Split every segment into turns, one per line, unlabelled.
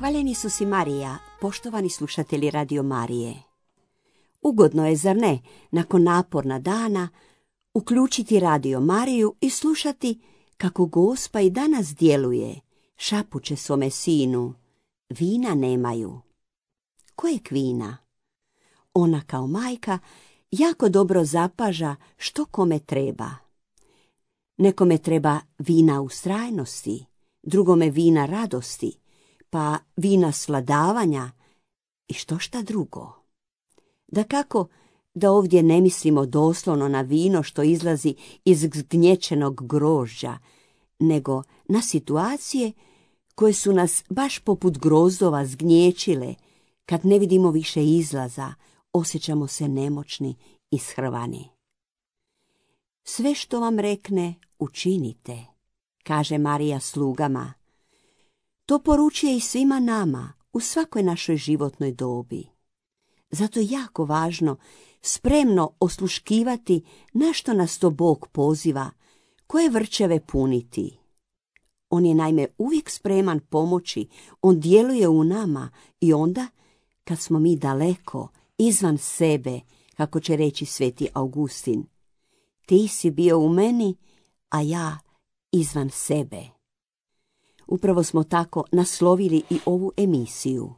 Hvaljeni su si Marija, poštovani slušatelji Radio Marije. Ugodno je, zar ne, nakon naporna dana, uključiti Radio Mariju i slušati kako Gospa i danas djeluje, šapuće svome sinu, vina nemaju. Kojeg vina? Ona kao majka jako dobro zapaža što kome treba. Nekome treba vina ustrajnosti, drugome vina radosti, pa vina sladavanja i što šta drugo. Dakako da ovdje ne mislimo doslovno na vino što izlazi iz zgnječenog grožđa, nego na situacije koje su nas baš poput grozdova zgnječile, kad ne vidimo više izlaza, osjećamo se nemoćni i shrvani. Sve što vam rekne, učinite, kaže Marija slugama. To poručuje i svima nama u svakoj našoj životnoj dobi. Zato je jako važno spremno osluškivati na što nas to Bog poziva, koje vrčeve puniti. On je naime uvijek spreman pomoći, on djeluje u nama i onda, kad smo mi daleko, izvan sebe, kako će reći sveti Augustin. Ti si bio u meni, a ja izvan sebe. Upravo smo tako naslovili i ovu emisiju.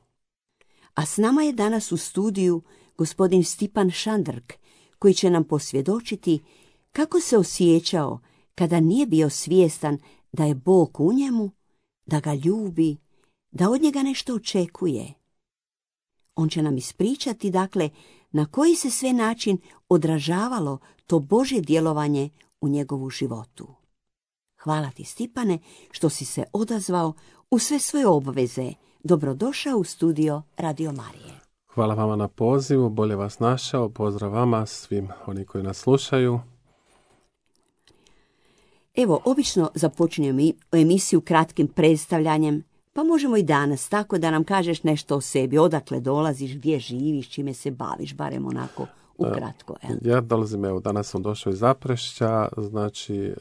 A s nama je danas u studiju gospodin Stipan Šandrk, koji će nam posvjedočiti kako se osjećao kada nije bio svjestan da je Bog u njemu, da ga ljubi, da od njega nešto očekuje. On će nam ispričati, dakle, na koji se sve način odražavalo to Božje djelovanje u njegovu životu. Hvala ti, Stipane, što si se odazvao u sve svoje obveze. Dobrodošao u studio Radio Marije.
Hvala vama na pozivu, bolje vas našao. Pozdrav vama, svim oni koji nas slušaju.
Evo, obično započinjemo emisiju kratkim predstavljanjem, pa možemo i danas, tako da nam kažeš nešto o sebi, odakle dolaziš, gdje živiš, čime se baviš, barem onako ukratko.
Ja dolazim, evo, danas sam došao iz Zaprešća, znači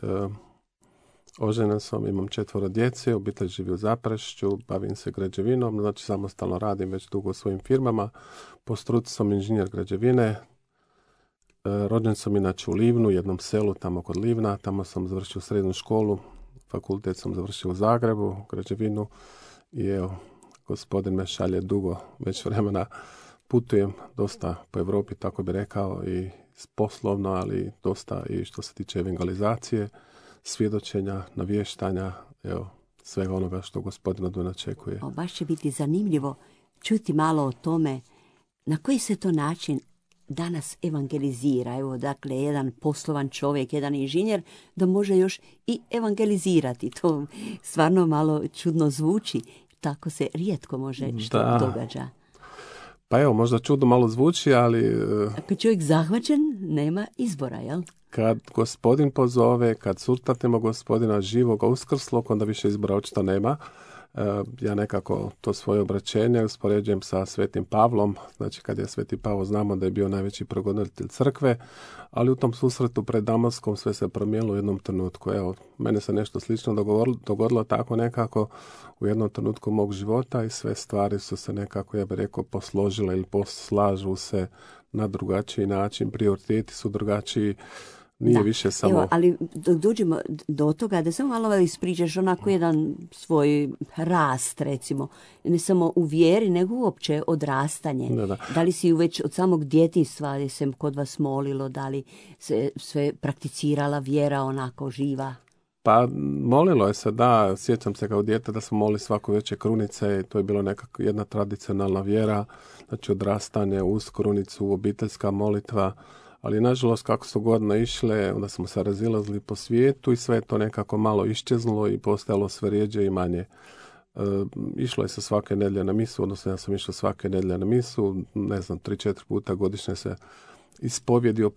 oženjen sam, imam 4 djece, obitelj živi u Zaprešću, bavim se građevinom, znači samostalno radim već dugo u svojim firmama, po struci sam inženjer građevine, rođen sam inače u Livnu, jednom selu tamo kod Livna, tamo sam završio srednju školu, fakultet sam završio u Zagrebu, građevinu i evo, gospodin me šalje dugo, već vremena putujem dosta po Europi, tako bi rekao, i poslovno, ali dosta i što se tiče evangelizacije, svjedočenja, navještanja, evo, svega onoga što gospodin od mene očekuje.
Baš će biti zanimljivo čuti malo o tome na koji se to način danas evangelizira. Evo, dakle, jedan poslovan čovjek, jedan inženjer, da može još i evangelizirati. To stvarno malo čudno zvuči. Tako se rijetko može što događa.
Pa evo, možda čudno malo zvuči, ali
ako čovjek zahvaćen, nema izbora, jel?
Kad gospodin pozove, kad surtatimo gospodina živoga uskrslog, onda više izbora očito nema. Ja nekako to svoje obraćenje uspoređujem sa svetim Pavlom. Znači, kad je sveti Pavao, znamo da je bio najveći progonitelj crkve, ali u tom susretu pred Damaskom sve se promijenilo u jednom trenutku. Evo, mene se nešto slično dogodilo tako nekako u jednom trenutku mog života i sve stvari su se nekako, ja bih rekao, posložile ili poslažu se na drugačiji način, prioriteti su drugačiji. Nije više samo...
Evo, ali dođemo do toga da samo malo ispričaš onako jedan svoj rast, recimo. Ne samo u vjeri, nego uopće odrastanje. Da li si već od samog djetinjstva se kod vas molilo, da li se sve prakticirala vjera onako živa?
Pa molilo je se, da, sjećam se kao dijete da smo molili svako večer krunice i to je bilo nekako jedna tradicionalna vjera, znači odrastanje uz krunicu, obiteljska molitva. Ali nažalost kako su godine išle, onda smo se razilazili po svijetu i sve to nekako malo iščeznulo i postajalo sve rijeđe i manje. Išlo je se svake nedjelje na misu, odnosno ja sam išao svake nedjelje na misu, 3-4 puta godišnje se ispovjedio,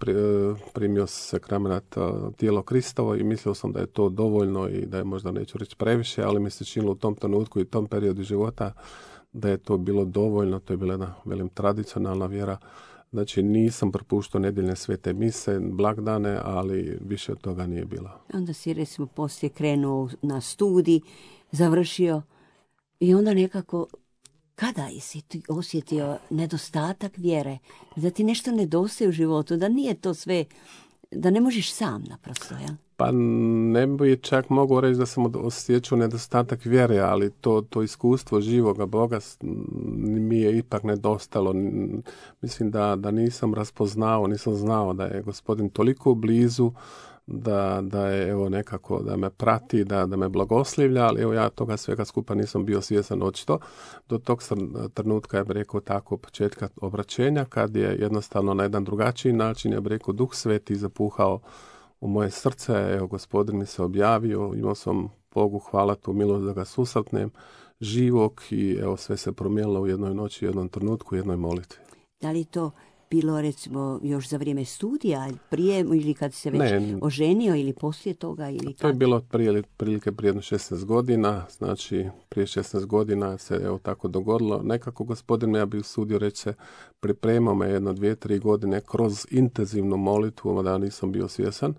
primio se sakrament tijelo Kristovo i mislio sam da je to dovoljno i da je možda, neću reći previše, ali mi se činilo u tom trenutku i u tom periodu života da je to bilo dovoljno, to je bila jedna, velim, tradicionalna vjera. Znači, nisam propuštao nedjeljne svete mise, blagdane, ali više od toga nije bilo.
Onda si, recimo, poslije krenuo na studij, završio i onda nekako kada si ti osjetio nedostatak vjere, da ti nešto nedostaje u životu, da nije to sve, da ne možeš sam naprosto, ja?
Pa ne bi čak mogao reći da sam osjećao nedostatak vjere, ali to iskustvo živoga Boga mi je ipak nedostalo. Mislim da nisam raspoznao, nisam znao da je Gospodin toliko blizu, da je evo nekako da me prati, da me blagoslivlja, ali evo ja toga svega skupa nisam bio svjestan očito. Do tog trenutka, ja bih rekao tako, početka obraćenja, kad je jednostavno na jedan drugačiji način, ja bih rekao, Duh Sveti zapuhao u moje srce. Evo, Gospodin mi se objavio, imao sam Bogu hvala tu milost da ga susretnem živog i evo sve se promijenilo u jednoj noći, u jednom trenutku, u jednoj molitvi.
Da li to bilo recimo još za vrijeme studija, prije ili kad se već oženio ili poslije toga? Ili
to je bilo prilike prije 16 godina, znači prije 16 godina se evo tako dogodilo. Nekako Gospodin me, ja bih usudio reći, se pripremao me 1, 2, 3 godine kroz intenzivnu molitvu, da nisam bio svjesan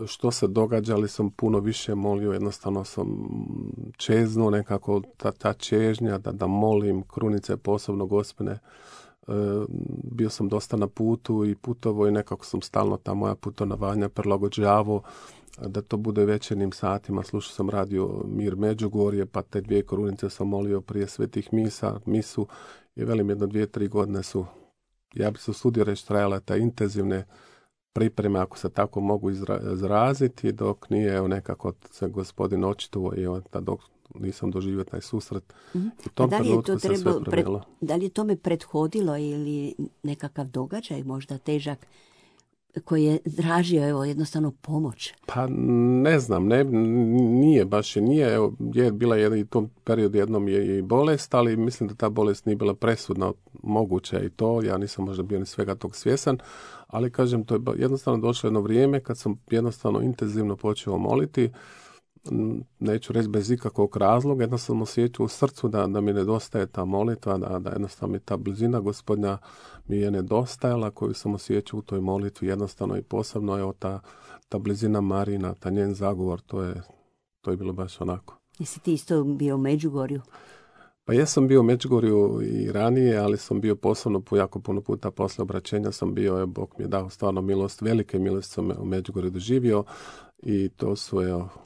što se događa, ali sam puno više molio, jednostavno sam čeznuo nekako ta čežnja da molim krunice posebno Gospine. Bio sam dosta na putu i putovo i nekako sam stalno ta moja putovanja prilagođavao da to bude večernjim satima. Slušao sam radio Mir Međugorje, pa te 2 krunice sam molio prije svetih misu i velim 1, 2, 3 godine su, ja bi se usudio reći, trajale te intenzivne pripreme, ako se tako mogu izraziti, dok nije evo nekako se Gospodin očitovao i dok nisam doživio taj susret. U tom trenutku se sve promijenilo.
Da li je tome prethodilo ili nekakav događaj možda težak koji je tražio evo jednostavno pomoć?
Pa ne znam, nije baš, evo, je bila i u tom periodu jednom je i bolest, ali mislim da ta bolest nije bila presudna, moguće i to, ja nisam možda bio ni svega tog svjesan, ali kažem, to je jednostavno došlo jedno vrijeme kad sam jednostavno intenzivno počeo moliti, neću reći bez ikakvog razloga, jednostavno osjećao u srcu da mi nedostaje ta molitva, da jednostavno mi ta blizina Gospodnja mi je nedostajala, koju sam osjećao u toj molitvi, jednostavno i posebno je ta blizina Marina, ta njen zagovor, to je bilo baš onako.
Jesi ti isto bio u Međugorju?
Pa jesam bio u Međugorju i ranije, ali sam bio posebno jako puno puta posle obraćenja sam bio, Bog mi je dao stvarno milost, velike milosti sam u Međugorju doživio i to su,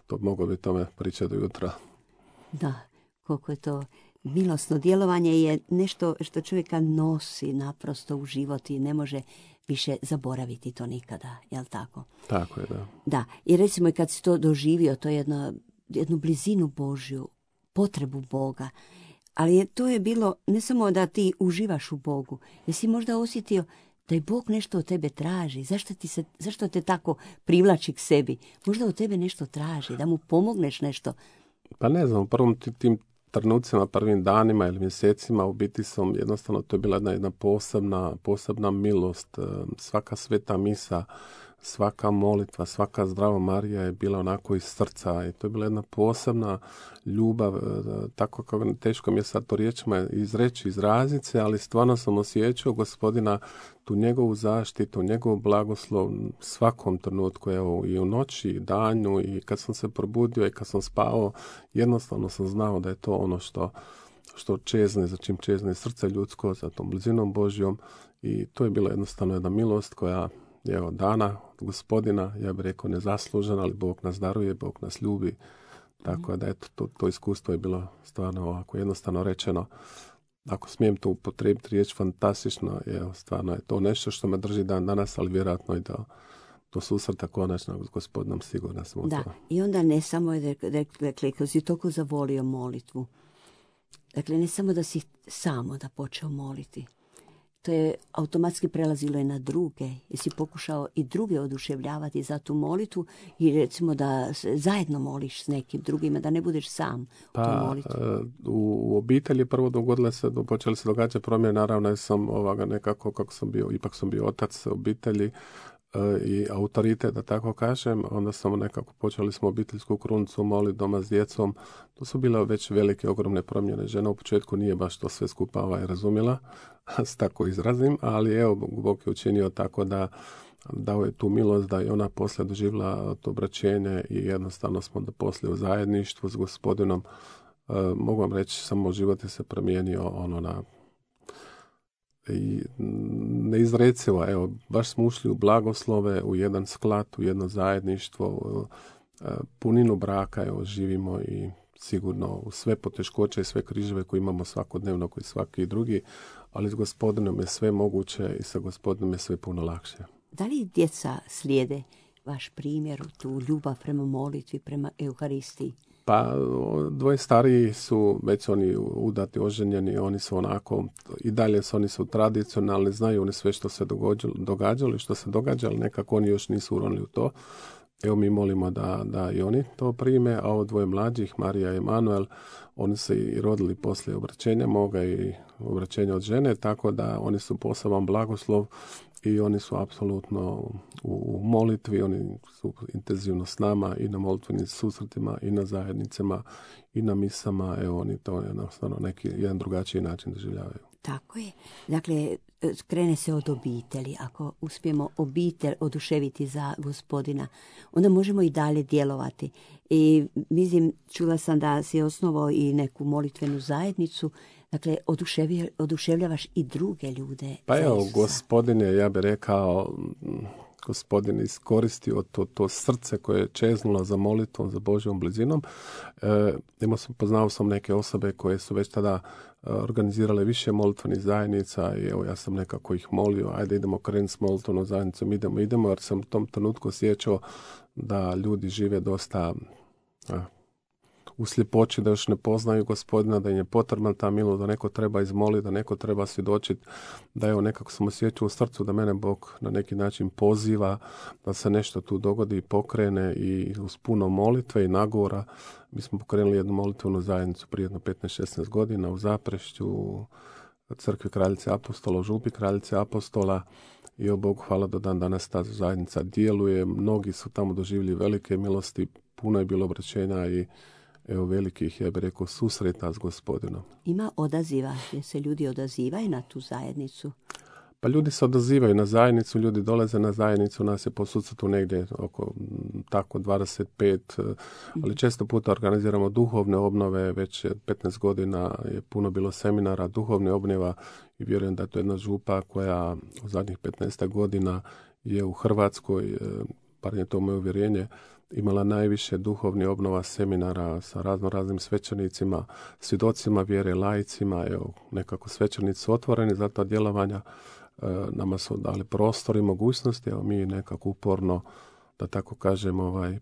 to mogu bi tome pričati do jutra.
Da, koliko je to milosno djelovanje je nešto što čovjeka nosi naprosto u život i ne može više zaboraviti to nikada, jel tako?
Tako je, da.
Da, i recimo i kad si to doživio, to je jednu blizinu Božju, potrebu Boga, ali to je bilo ne samo da ti uživaš u Bogu, jesi možda osjetio da je Bog nešto od tebe traži, zašto te tako privlači k sebi, možda od tebe nešto traži, da mu pomogneš nešto.
Pa ne znam, u prvom tim trenucima, prvim danima ili mjesecima u biti sam jednostavno, to je bila jedna posebna milost, svaka sveta misa, svaka molitva, svaka zdrava Marija je bila onako iz srca i to je bila jedna posebna ljubav, tako kako teško mi je sad to riječima izraziti se, ali stvarno sam osjećao Gospodina, tu njegovu zaštitu, njegov blagoslov svakom trenutku, evo i u noći, i danju, i kad sam se probudio i kad sam spavao, jednostavno sam znao da je to ono što čezne, za čim čezne srce ljudsko, za tom blizinom Božjom, i to je bila jednostavno jedna milost koja evo dana od Gospodina, ja bih rekao nezaslužena, ali Bog nas daruje, Bog nas ljubi, tako da eto, to iskustvo je bilo stvarno ovako jednostavno rečeno. Ako smijem to upotrijebiti riječ fantastično, evo, stvarno je to nešto što me drži dan danas, ali vjerojatno i do susreta konačnog s Gospodinom sigurno smo
da,
to.
I onda ne samo je rekli, kad si toliko zavolio molitvu, dakle ne samo da si samo da počeo moliti, to je automatski prelazilo i na druge. Jesi pokušao i druge oduševljavati za tu molitvu i recimo da zajedno moliš s nekim drugima, da ne budeš sam u toj molitvi?
U obitelji prvo počeli se događati promjene, naravno sam nekako kako sam bio, ipak sam bio otac obitelji i autoritet, da tako kažem, onda sam nekako počeli smo obiteljsku krunicu moliti doma s djecom. To su bile već velike, ogromne promjene. Žena u početku nije baš to sve skupa razumjela, s tako izrazim, ali evo, Bog je učinio tako da dao je tu milost da je ona poslije doživjela to obraćenje i jednostavno smo da poslije u zajedništvu s Gospodinom mogu vam reći, samo život je se promijenio i neizrecivo. Evo, baš smo ušli u blagoslove, u jedan sklad, u jedno zajedništvo, puninu braka, evo, živimo i sigurno u sve poteškoće i sve križeve koje imamo svakodnevno, koji svaki drugi, ali s Gospodinom je sve moguće i sa Gospodinom je sve puno lakše.
Da li djeca slijede vaš primjer, tu ljubav prema molitvi, prema Euharistiji?
Pa, dvoje stariji su, već oni udati, oženjeni, oni su onako, i dalje oni su tradicionalni, znaju oni sve što se događalo i što se događa, ali nekako oni još nisu uronili u to. Evo, mi molimo da i oni to prime, a ovo dvoje mlađih, Marija i Emanuel, oni se i rodili poslije obraćenja moga i obraćenja od žene, tako da oni su poseban blagoslov i oni su apsolutno u molitvi, oni su intenzivno s nama i na molitvenim susretima i na zajednicama i na misama, evo, oni to jednostavno neki jedan drugačiji način doživljavaju.
Tako je. Dakle, krene se od obitelji. Ako uspijemo obitelj oduševiti za Gospodina, onda možemo i dalje djelovati. I mislim, čula sam da si osnovao i neku molitvenu zajednicu. Dakle, oduševljavaš i druge ljude.
Pa evo, Gospodin je, ja bih rekao, Gospodin iskoristio to srce koje je čeznulo za molitvom, za Božjom blizinom. Poznao sam neke osobe koje su već tada organizirale više molitvenih zajednica i evo, ja sam nekako ih molio, ajde idemo krenuti s molitvenom zajednicom, idemo, jer sam u tom trenutku osjećao da ljudi žive dosta u sljepoći, da još ne poznaju Gospodina, da im je potrebna ta milost, da neko treba izmoliti, da neko treba svjedočiti, da evo, nekako sam osjećao u srcu da mene Bog na neki način poziva, da se nešto tu dogodi i pokrene i uz puno molitve i nagovora. Mi smo pokrenuli jednu molitvenu zajednicu prije jedno 15-16 godina u Zaprešću, u crkvi Kraljice Apostola, u župi Kraljice Apostola, i o Bogu hvala do dan danas ta zajednica djeluje. Mnogi su tamo doživjeli velike milosti, puno je bilo obraćenja i evo, velikih, ja bih rekao, susreta s Gospodinom.
Ima odaziva, jer se ljudi odazivaju na tu zajednicu?
Pa ljudi se odazivaju na zajednicu, ljudi dolaze na zajednicu, nas je po sucetu negdje oko tako 25, ali često puta organiziramo duhovne obnove, već 15 godina je puno bilo seminara duhovne obnova i vjerujem da je to jedna župa koja u zadnjih 15 godina je u Hrvatskoj, bar je to moje uvjerenje, imala najviše duhovnih obnova seminara sa raznim svećenicima, svjedocima vjere, laicima. Evo, nekako svećenici su otvoreni za ta djelovanja, nama su dali prostor i mogućnosti, evo, mi nekako uporno, da tako kažem,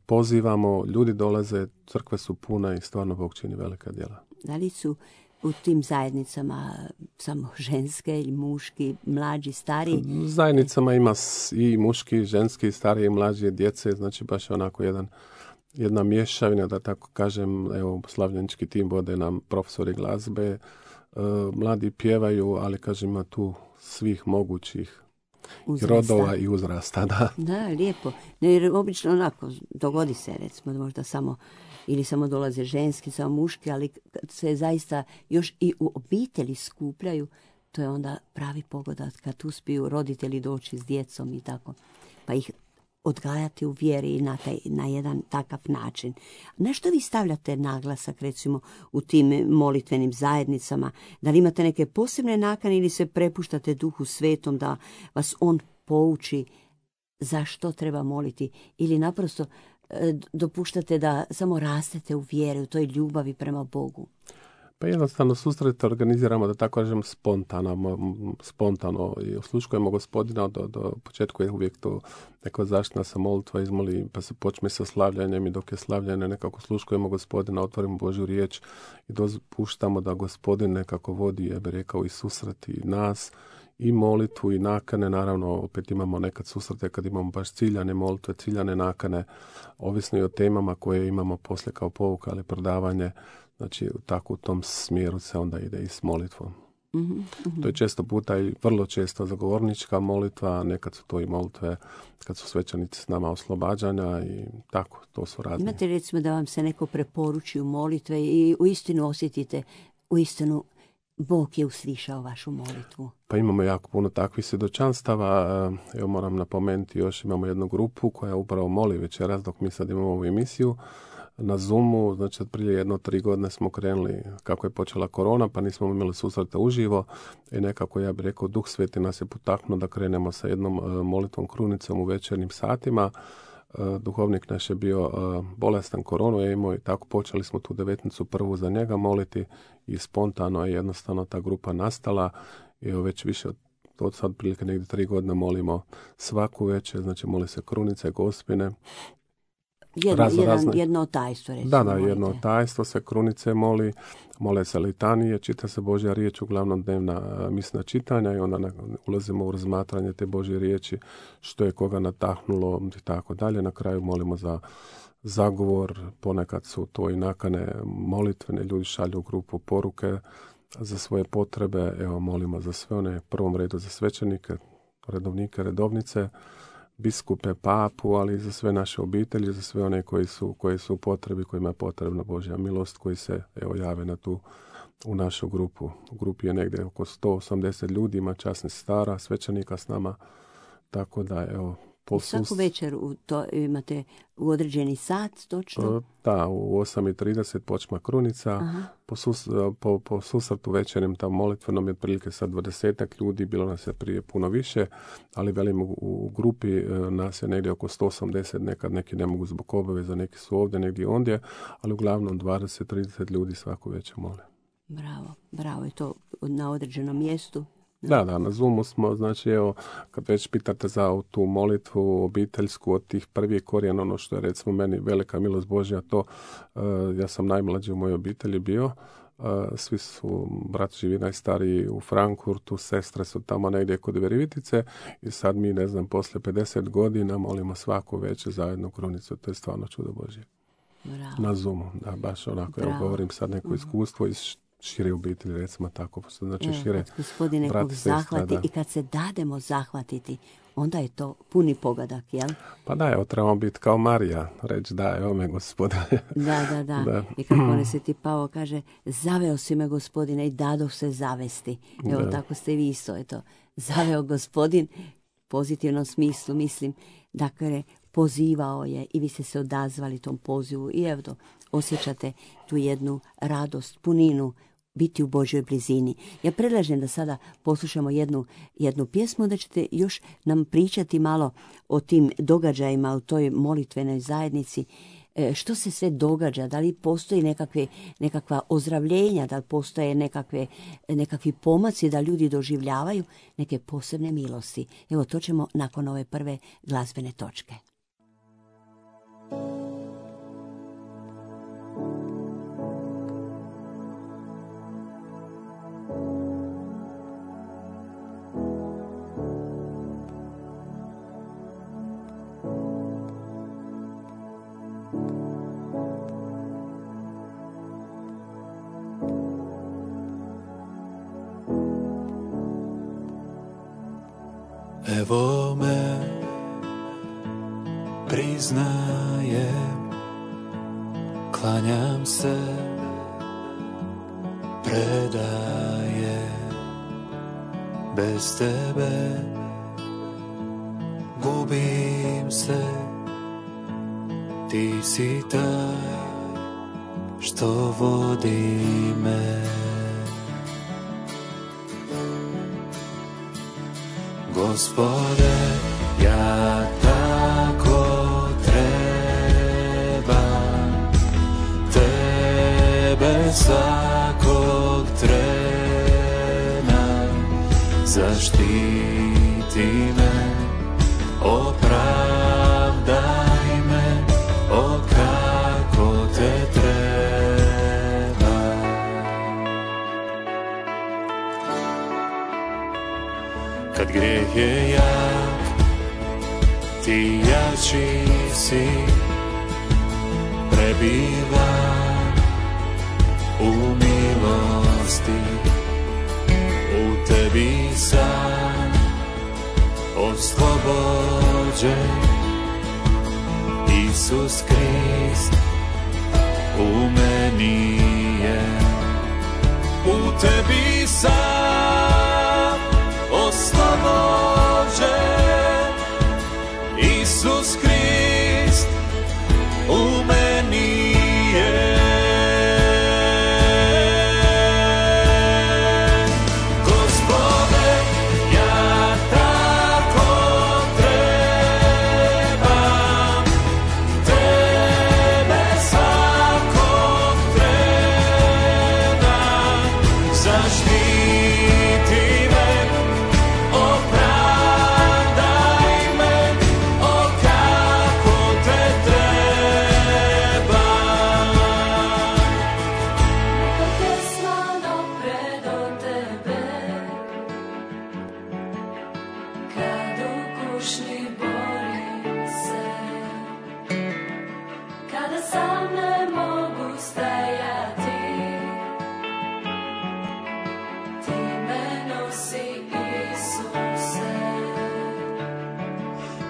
pozivamo, ljudi dolaze, crkve su pune i stvarno Bog čini velika djela.
Da li su u tim zajednicama samo ženske ili muški, mlađi, stariji?
U zajednicama ima i muški, ženski, stariji, mlađi, djece, znači baš onako jedna mješavina, da tako kažem. Evo, slavljenički tim vode nam profesori glazbe, mladi pjevaju, ali kažem, ima tu svih mogućih uzrasta, rodova i uzrasta.
Da, lijepo. Jer obično onako dogodi se, recimo, možda samo dolaze ženski, samo muški, ali kad se zaista još i u obitelji skupljaju, to je onda pravi pogodak kad uspiju roditelji doći s djecom i tako, pa ih odgajati u vjeri i na jedan takav način. Na što vi stavljate naglasak, recimo, u tim molitvenim zajednicama? Da li imate neke posebne nakane ili se prepuštate Duhu Svetom da vas on pouči za što treba moliti, ili naprosto dopuštate da samo rastete u vjeri, u toj ljubavi prema Bogu?
Pa jednostavno susrete organiziramo, da tako kažem, spontano i osluškujemo Gospodina do početku je uvijek to neka zaštitna se molitva izmoli, pa se počne sa slavljanjem i dok je slavljanje nekako sluškujemo Gospodina, otvorimo Božju riječ i dopuštamo da Gospodin nekako vodi, ja bih rekao, i susreti nas i molitvu i nakane. Naravno, opet imamo nekad susrete kad imamo baš ciljane molitve, ciljane nakane, ovisno i o temama koje imamo poslije kao pouka, ali predavanje. Znači, tako u tom smjeru se onda ide i s molitvom.
Mm-hmm.
To je često puta i vrlo često zagovornička molitva, nekad su to i molitve kad su svećanici s nama oslobađanja i tako, to su razne.
Imate recimo da vam se neko preporuči u molitve i uistinu osjetite, uistinu Bog je uslišao vašu molitvu?
Pa imamo jako puno takvih svjedočanstava. Evo, moram napomenuti, još imamo jednu grupu koja upravo moli večeras dok mi sad imamo ovu emisiju. na Zoomu, znači prije 3 godine smo krenuli kako je počela korona, pa nismo imali susreta uživo i nekako, ja bih rekao, Duh Sveti nas je potaknuo da krenemo sa jednom molitvom krunicom u večernjim satima. Duhovnik naš je bio bolestan, koronu je imao i tako počeli smo tu 19. prvu za njega moliti i spontano je jednostavno ta grupa nastala i već više od sad prilike negdje 3 godine molimo svaku večer, znači moli se krunice, gospine.
Jedno tajstvo, recimo.
Da, jedno tajstvo se krunice mole se litanije, čita se Božja riječ, uglavnom dnevna misna čitanja i onda ulazimo u razmatranje te Božje riječi, što je koga natahnulo i tako dalje. Na kraju molimo za zagovor, ponekad su to i nakane molitvene, ljudi šalju u grupu poruke za svoje potrebe, evo molimo za sve one, u prvom redu za svećenike, redovnike, redovnice, biskupe, papu, ali i za sve naše obitelji, za sve one koji su u potrebi, kojima je potrebna Božja milost, koji se jave u našu grupu. U grupi je negdje oko 180 ljudi, ima časnih stara, svećenika s nama, tako da
svaku večer imate u određeni sat, točno?
Da, u 8:30 počma krunica. Po susretu večernjem tam molitvenom je otprilike sad 20 ljudi, bilo nas je prije puno više, ali velim u grupi nas je negdje oko 180, nekad neki ne mogu zbog obaveza, neki su ovdje, negdje ondje, ali uglavnom 20-30 ljudi svaku večer mole.
Bravo, je to na određenom mjestu?
Da, na Zoomu smo, znači kad već pitate za tu molitvu obiteljsku od tih prvih korijena, ono što je recimo meni velika milost Božja, to ja sam najmlađi u mojoj obitelji bio, svi su, brat živi najstariji u Frankfurtu, sestre su tamo negdje kod Virovitice i sad mi, poslije 50 godina molimo svaku večer zajedno krunicu, to je stvarno čudo Božje.
Bravo.
Na Zoomu, da, baš onako, govorim sad neko iskustvo iz šire obitelji, recimo tako, znači šire
Gospodine, nekog zahvati i kad se dademo zahvatiti, onda je to puni pogodak, jel?
Pa da, trebamo biti kao Marija, reći da, evo me Gospodine.
Da. I kako on se ti Pavo kaže, zaveo si me Gospodine i dadoh se zavesti. Evo, tako ste vi isto, zaveo Gospodin, pozitivnom smislu, mislim, dakle, pozivao je i vi ste se odazvali tom pozivu i evo, osjećate tu jednu radost, puninu, biti u Božjoj blizini. Ja predlažem da sada poslušamo jednu pjesmu, da ćete još nam pričati malo o tim događajima u toj molitvenoj zajednici. Što se sve događa, da li postoji nekakva ozdravljenja, da li postoje nekakvi pomaci da ljudi doživljavaju neke posebne milosti. Evo, to ćemo nakon ove prve glazbene točke.
Evo me, priznajem, klanjam se, predajem, bez tebe gubim se, ti si taj što vodi me. Gospode, ja tako trebam tebe svakog trena, zaštiti me, opravdaj me, o kako te treba. Kad grijeh je jak, ti jači si, prebiva u milosti, u tebi sam oslobođen. Isus Krist u meni je, u tebi sam oslobođen. Isus Krist u meni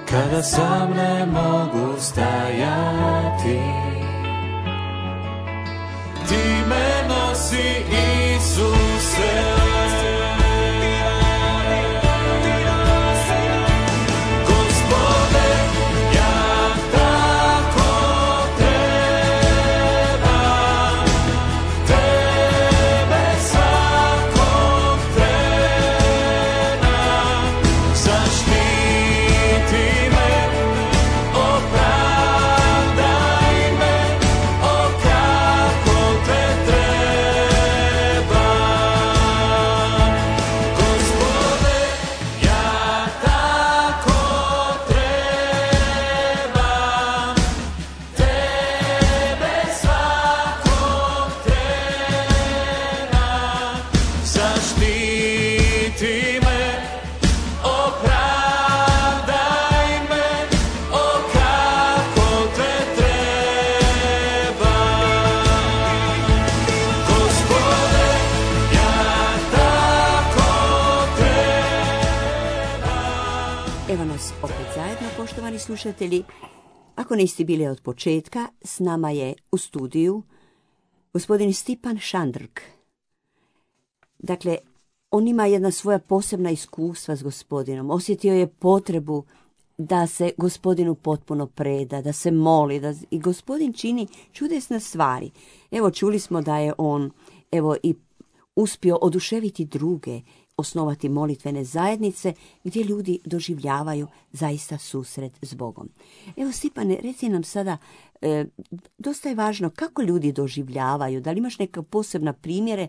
kada sam ne mogu stajati. Ti me nosi, Isuse.
Evo nas opet zajedno, poštovani slušatelji. Ako niste bili od početka, s nama je u studiju gospodin Stipan Šandrk. Dakle, on ima jedna svoja posebna iskustva s gospodinom. Osjetio je potrebu da se gospodinu potpuno preda, da se moli, i gospodin čini čudesne stvari. Evo, čuli smo da je on i uspio oduševiti druge, osnovati molitvene zajednice gdje ljudi doživljavaju zaista susret s Bogom. Evo, Stipane, reci nam sada, dosta je važno kako ljudi doživljavaju, da li imaš neka posebna primjere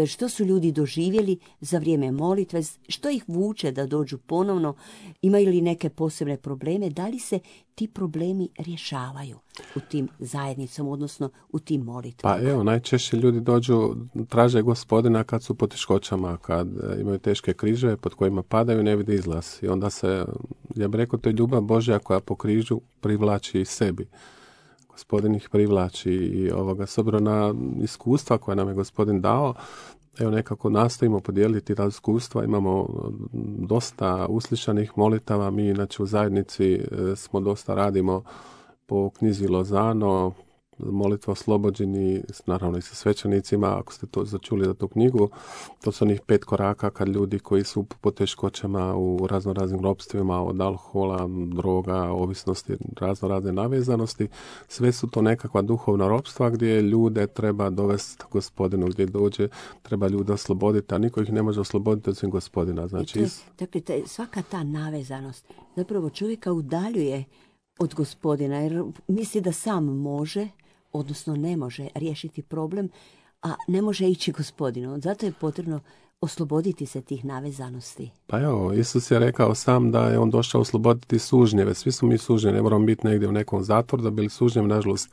što su ljudi doživjeli za vrijeme molitve, što ih vuče da dođu ponovno, imaju li neke posebne probleme, da li se ti problemi rješavaju u tim zajednicama, odnosno u tim molitvama?
Pa evo, najčešće ljudi dođu, traže gospodina kad su po teškoćama, kad imaju teške križeve pod kojima padaju, ne vide izlaz. I onda se, ja bih rekao, to je ljubav Božja koja po križu privlači sebi. Gospodin ih privlači i s obzirom na iskustva koja nam je gospodin dao, evo nekako nastojimo podijeliti ta iskustva, imamo dosta uslišanih molitava, mi inače u zajednici smo dosta radimo po knjizi Lozano, molitva oslobođeni, naravno i sa svećenicima, ako ste to začuli za tu knjigu, to su onih 5 koraka kad ljudi koji su po teškoćama u raznoraznim ropstvima, od alkohola, droga, ovisnosti, raznorazne navezanosti, sve su to nekakva duhovna ropstva gdje ljude treba dovesti gospodinu, gdje dođe, treba ljude osloboditi, a niko ih ne može osloboditi osim gospodina. Znači,
dakle, svaka ta navezanost zapravo čovjeka udaljuje od gospodina, jer misli da sam može, odnosno ne može riješiti problem, a ne može ići gospodinu. Zato je potrebno osloboditi se tih navezanosti. Pa
evo, Isus je rekao sam da je on došao osloboditi sužnjeve. Svi smo mi sužnjevi, ne moramo biti negdje u nekom zatvoru da bili sužnjevi. Nažalost,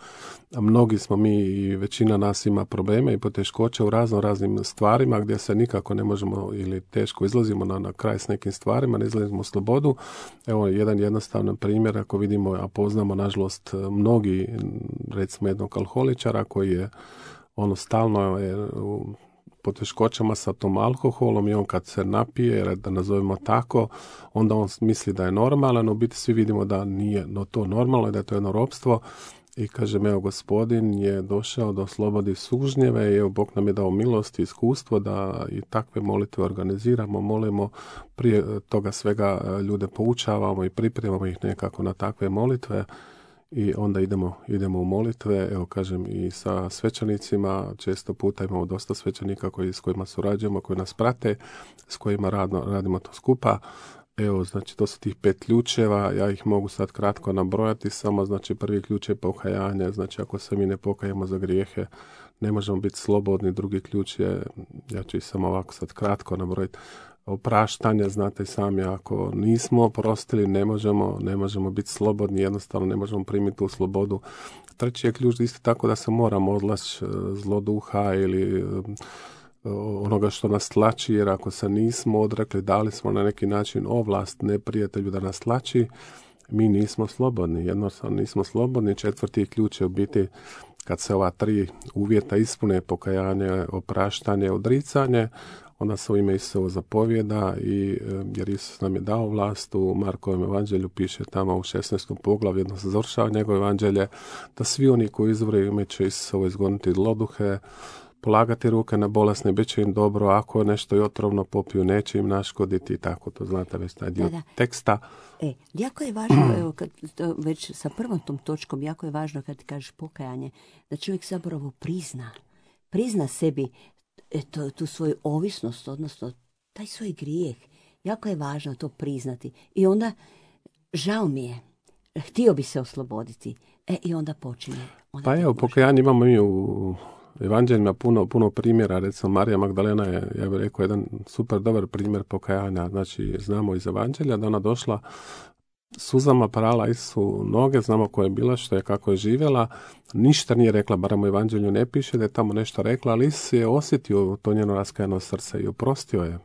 mnogi smo mi i većina nas ima probleme i poteškoće u raznim stvarima gdje se nikako ne možemo ili teško izlazimo na kraj s nekim stvarima, ne izlazimo u slobodu. Evo, jedan jednostavan primjer, ako vidimo, a poznamo nažalost mnogi, recimo jednog alkoholičara koji je stalno je po teškoćama sa tom alkoholom i on kad se napije, da nazovemo tako, onda on misli da je normalan, u biti svi vidimo da nije to normalno i da je to jedno ropstvo. I kažem, evo, gospodin je došao da oslobodi sužnjeve i evo, Bog nam je dao milost i iskustvo da i takve molitve organiziramo, molimo, prije toga svega ljude poučavamo i pripremamo ih nekako na takve molitve. I onda idemo u molitve, evo kažem, i sa svećenicima, često puta imamo dosta svećenika s kojima surađujemo, koji nas prate, s kojima radimo to skupa. Evo, znači, to su tih 5 ključeva, ja ih mogu sad kratko nabrojati, samo, znači, prvi ključ je pokajanje, znači, ako se mi ne pokajemo za grijehe, ne možemo biti slobodni. Drugi ključ je, ja ću ih samo ovako sad kratko nabrojiti, opraštanje, znate sami, ako nismo oprostili, ne možemo biti slobodni, jednostavno ne možemo primiti tu slobodu. Treći je ključ isto tako da se moramo odlaći zloduha ili onoga što nas tlači, jer ako se nismo odrekli, dali smo na neki način ovlast neprijatelju da nas tlači, mi nismo slobodni, jednostavno nismo slobodni. Četvrti ključ je u biti kad se ova 3 uvjeta ispune, pokajanje, opraštanje, odricanje, onda se u ime Isusovo zapovjeda i jer Isus nam je dao vlast, u Markovom evanđelju piše tamo u 16. poglavlju, jedno se završava njegovo evanđelje, da svi oni koji izvore ime će Isusovo izgoniti zloduhe, polagati ruke na bolesne, bit će im dobro, ako nešto i otrovno popiju, neće im naškoditi i tako, to znate već taj dio teksta.
Jako je važno, evo, kad, već sa prvom tom točkom, jako je važno kad ti kažeš pokajanje, da čovjek zapravo prizna sebi tu svoju ovisnost, odnosno taj svoj grijeh. Jako je važno to priznati. I onda, žao mi je, htio bi se osloboditi. I onda počinje.
Pa evo, pokajanje imamo mi u evanđeljima puno primjera, recimo Marija Magdalena je, ja bih rekao, jedan super dobar primjer pokajanja. Znači, znamo iz evanđelja da ona došla suzama prala Isusu noge, znamo koja je bila, što je, kako je živjela, ništa nije rekla, barem u evanđelju ne piše da je tamo nešto rekla, ali Isus je osjetio to njeno raskajano srce i oprostio je.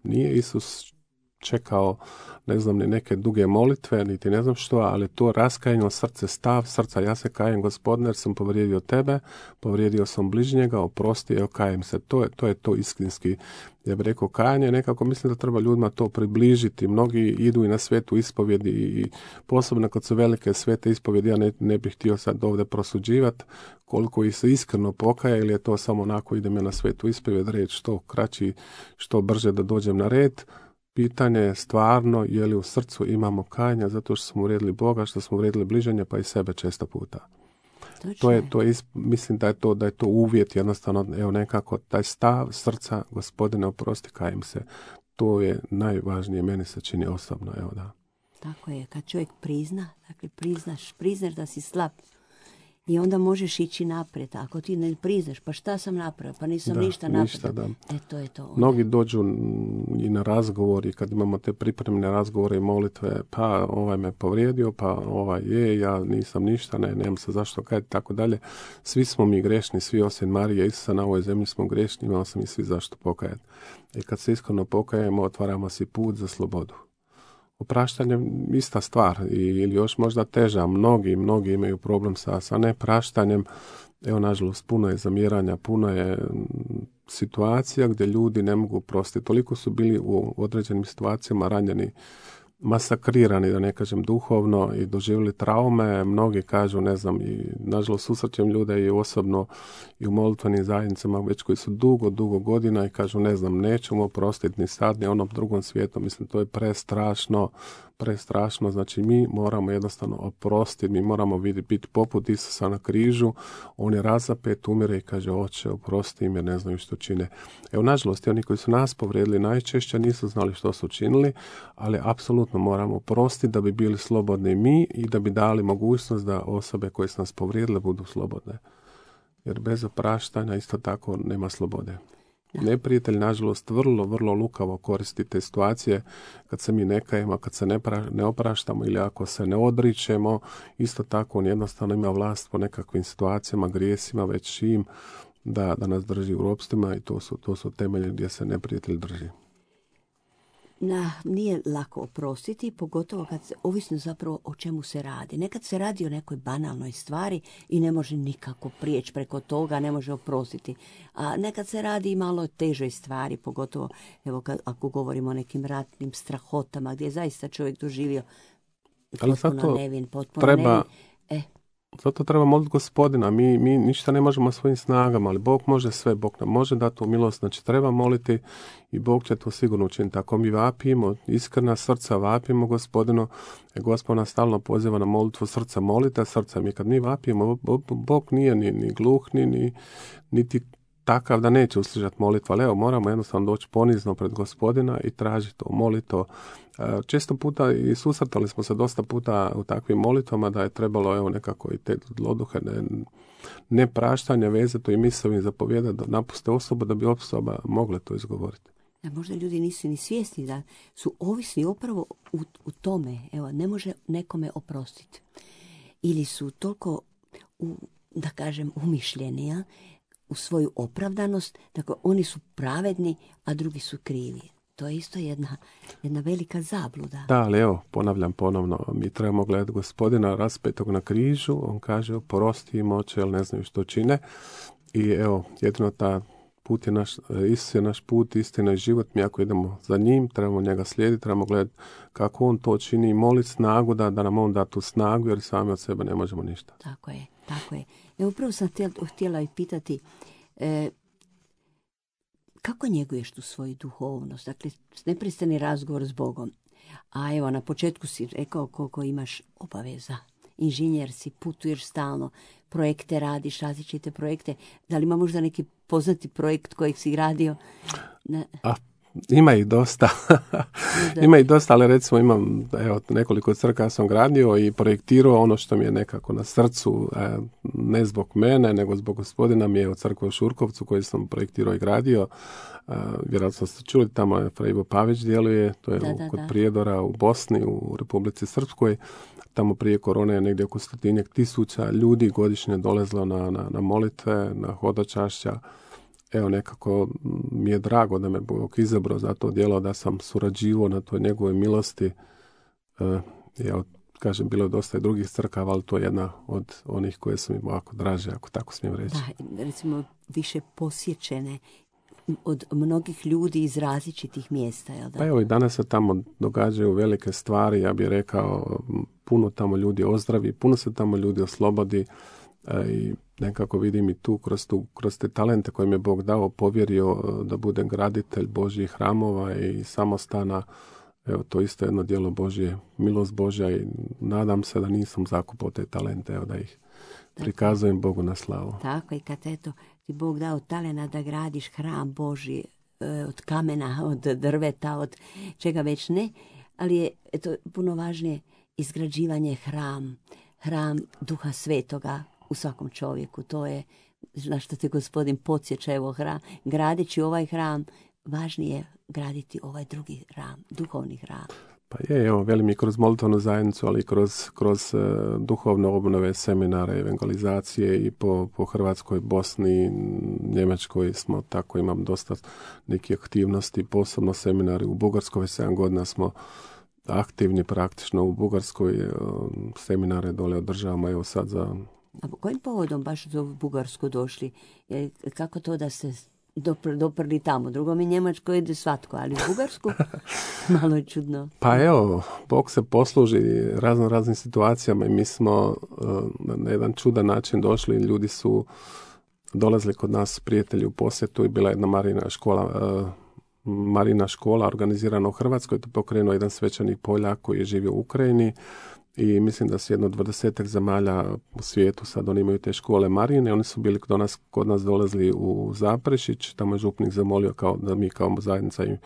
Nije Isus čekao, ne znam, ni neke duge molitve, niti ne znam što, ali to raskajano srce, stav srca, ja se kajem Gospodine jer sam povrijedio tebe, povrijedio sam bližnjega, oprosti, evo kajem se. To je to istinski, ja bih rekao, kajanje. Nekako mislim da treba ljudima to približiti. Mnogi idu i na svetu ispovjedi i posebno kad su velike svete ispovjedi, ja ne bih htio sad ovdje prosuđivati koliko ih se iskreno pokaja ili je to samo onako idem ja na svetu ispovjed reći što kraći, što brže da dođem na red. Pitanje je stvarno je li u srcu imamo kajanja zato što smo uvrijedili Boga, što smo uvrijedili bližnje pa i sebe često puta. Mislim da je to uvjet jednostavno, evo nekako taj stav srca, Gospodine oprosti, kajem se. To je najvažnije, meni se čini osobno, evo da.
Tako je, kad čovjek prizna, dakle priznaš da si slab i onda možeš ići naprijed. Ako ti ne priznaš, pa šta sam napravio, pa nisam ništa napravio. To je to.
Mnogi dođu i na razgovor i kad imamo te pripremne razgovore i molitve, pa ovaj me povrijedio, pa ja nisam ništa, nemam se zašto kajati, tako dalje. Svi smo mi grešni, svi osim Marije Isusa na ovoj zemlji smo grešni, imamo se mi svi zašto pokajati. I kad se iskreno pokajemo, otvaramo si put za slobodu. Opraštanje ista stvar ili još možda teža. Mnogi imaju problem sa nepraštanjem. Evo, nažalost, puno je zamjeranja, puno je situacija gdje ljudi ne mogu prostiti. Toliko su bili u određenim situacijama ranjeni, masakrirani, da ne kažem duhovno, i doživjeli traume. Mnogi kažu, ne znam, i nažalost susrećem ljude i osobno i u molitvenim zajednicama već koji su dugo godina i kažu, ne znam, nećemo oprostiti ni sad ni onom drugom svijetu. Mislim, to je prestrašno. Znači, mi moramo jednostavno oprostiti, mi moramo biti poput Isusa na križu. On je razapet, umire i kaže, Oče, oprosti im jer ne znaju što čine. Evo, nažalost, oni koji su nas povrijedili najčešće nisu znali što su činili, ali apsolutno moramo oprostiti da bi bili slobodni mi i da bi dali mogućnost da osobe koje su nas povrijedile budu slobodne. Jer bez opraštanja isto tako nema slobode. Neprijatelj, nažalost, vrlo lukavo koristi te situacije kad se mi ne kajemo, kad se ne opraštamo ili ako se ne odričemo. Isto tako on jednostavno ima vlast po nekakvim situacijama, grijesima, već čim da nas drži u ropstvima i to su temelje gdje se neprijatelj drži.
Nije lako oprostiti, pogotovo kad se, ovisno zapravo o čemu se radi. Nekad se radi o nekoj banalnoj stvari i ne može nikako prijeći preko toga, ne može oprostiti. A nekad se radi i malo težoj stvari, pogotovo ako govorimo o nekim ratnim strahotama gdje je zaista čovjek doživio potpuno nevin.
Zato treba moliti Gospodina. Mi ništa ne možemo svojim snagama, ali Bog može sve. Bog nam može dati tu milost. Znači treba moliti i Bog će to sigurno učiniti. Ako mi vapimo, iskrena srca vapimo Gospodinu, Gospod nas stalno poziva na molitvu srca. Molite srca. Mi kad mi vapimo, Bog nije ni gluh, niti takav da neće uslišati molitvu. Ali evo, moramo jednostavno doći ponizno pred Gospodina i tražiti to, moliti to. Često puta i susretali smo se dosta puta u takvim molitvama da je trebalo evo nekako i te zloduhe nepraštanje vezati i mislom i zapovjedati da napuste osobu da bi osoba mogla to izgovoriti.
Da možda ljudi nisu ni svjesni da su ovisni upravo u tome. Evo, ne može nekome oprostiti. Ili su toliko, da kažem, umišljeni u svoju opravdanost, dakle oni su pravedni, a drugi su krivi. To je isto jedna velika zabluda.
Da, ali evo, ponavljam ponovno, mi trebamo gledati Gospodina raspetog na križu, on kaže oprosti im, Oče, jer ne znaju što čine. I evo, jedino ta Put je naš, Isus je naš put, istina i život. Mi ako idemo za njim, trebamo njega slijediti, trebamo gledati kako on to čini i moliti snagu da nam on da tu snagu, jer sami od sebe ne možemo ništa.
Tako je. Evo upravo sam htjela i pitati kako njeguješ tu svoju duhovnost? Dakle, neprestani razgovor s Bogom. A evo, na početku si rekao koliko imaš obaveza. Inženjer si, putuješ stalno, projekte radiš, različite projekte. Da li ima možda neki poznati projekt kojeg si radio?
Ima ih dosta. Ima ih dosta, ali recimo imam nekoliko crkava sam gradio i projektirao. Ono što mi je nekako na srcu, ne zbog mene, nego zbog Gospodina, mi je u crkvi u Šurkovcu koji sam projektirao i gradio. Vjerojatno ste čuli, tamo je Fra Ivo Pavić djeluje, to je kod Prijedora u Bosni, u Republici Srpskoj. Tamo prije korone je negdje oko 100.000 ljudi godišnje dolazilo na molitve, na hodočašća. Evo, nekako mi je drago da me Bog izabrao za to djelo, da sam surađivao na toj njegovoj milosti. Evo, kažem, bilo je dosta i drugih crkava, ali to je jedna od onih koje su mi ovako draže, ako tako smijem reći.
Da, recimo više posjećene od mnogih ljudi iz različitih mjesta, jel da?
Pa evo, i danas se tamo događaju velike stvari, ja bih rekao, puno tamo ljudi ozdravi, puno se tamo ljudi oslobodi i nekako vidim i tu kroz te talente koje mi je Bog dao, povjerio da budem graditelj Božjih hramova i samostana. Evo, to isto jedno djelo Božje, milost Božja i nadam se da nisam zakupao te talente, evo, da ih prikazujem Bogu na slavu.
Tako, i kad eto ti Bog dao talena da gradiš hram Božji od kamena, od drveta, od čega već ne, ali je eto puno važnije izgrađivanje hram Duha Svetoga u svakom čovjeku. To je na što te Gospodin podsjeća, evo, gradeći ovaj hram, važnije je graditi ovaj drugi hram, duhovni hram.
Pa evo, velim i kroz molitvenu zajednicu, ali i kroz duhovne obnove, seminare, evangelizacije i po Hrvatskoj, Bosni, Njemačkoj smo tako, imam dosta nekih aktivnosti, posebno seminari u Bugarskoj, 7 godina smo aktivni praktično u Bugarskoj, seminare dole održavamo, evo sad za...
A po kojim povodom baš u Bugarsku došli? Kako to da se doprli tamo? Drugo mi Njemačko ide svatko, ali u Bugarsku malo je čudno.
Pa evo, Bog se posluži raznim situacijama i mi smo na jedan čudan način došli. Ljudi su dolazili kod nas, prijatelji, u posjetu i bila jedna Marina škola organizirana u Hrvatskoj. To pokrenuo jedan svećenik Poljak koji je živio u Ukrajini. I mislim da su jedno 20 zemalja u svijetu, sad oni imaju te škole Marine, oni su bili kod nas dolazili u Zaprešić, tamo je župnik zamolio da mi kao zajednica im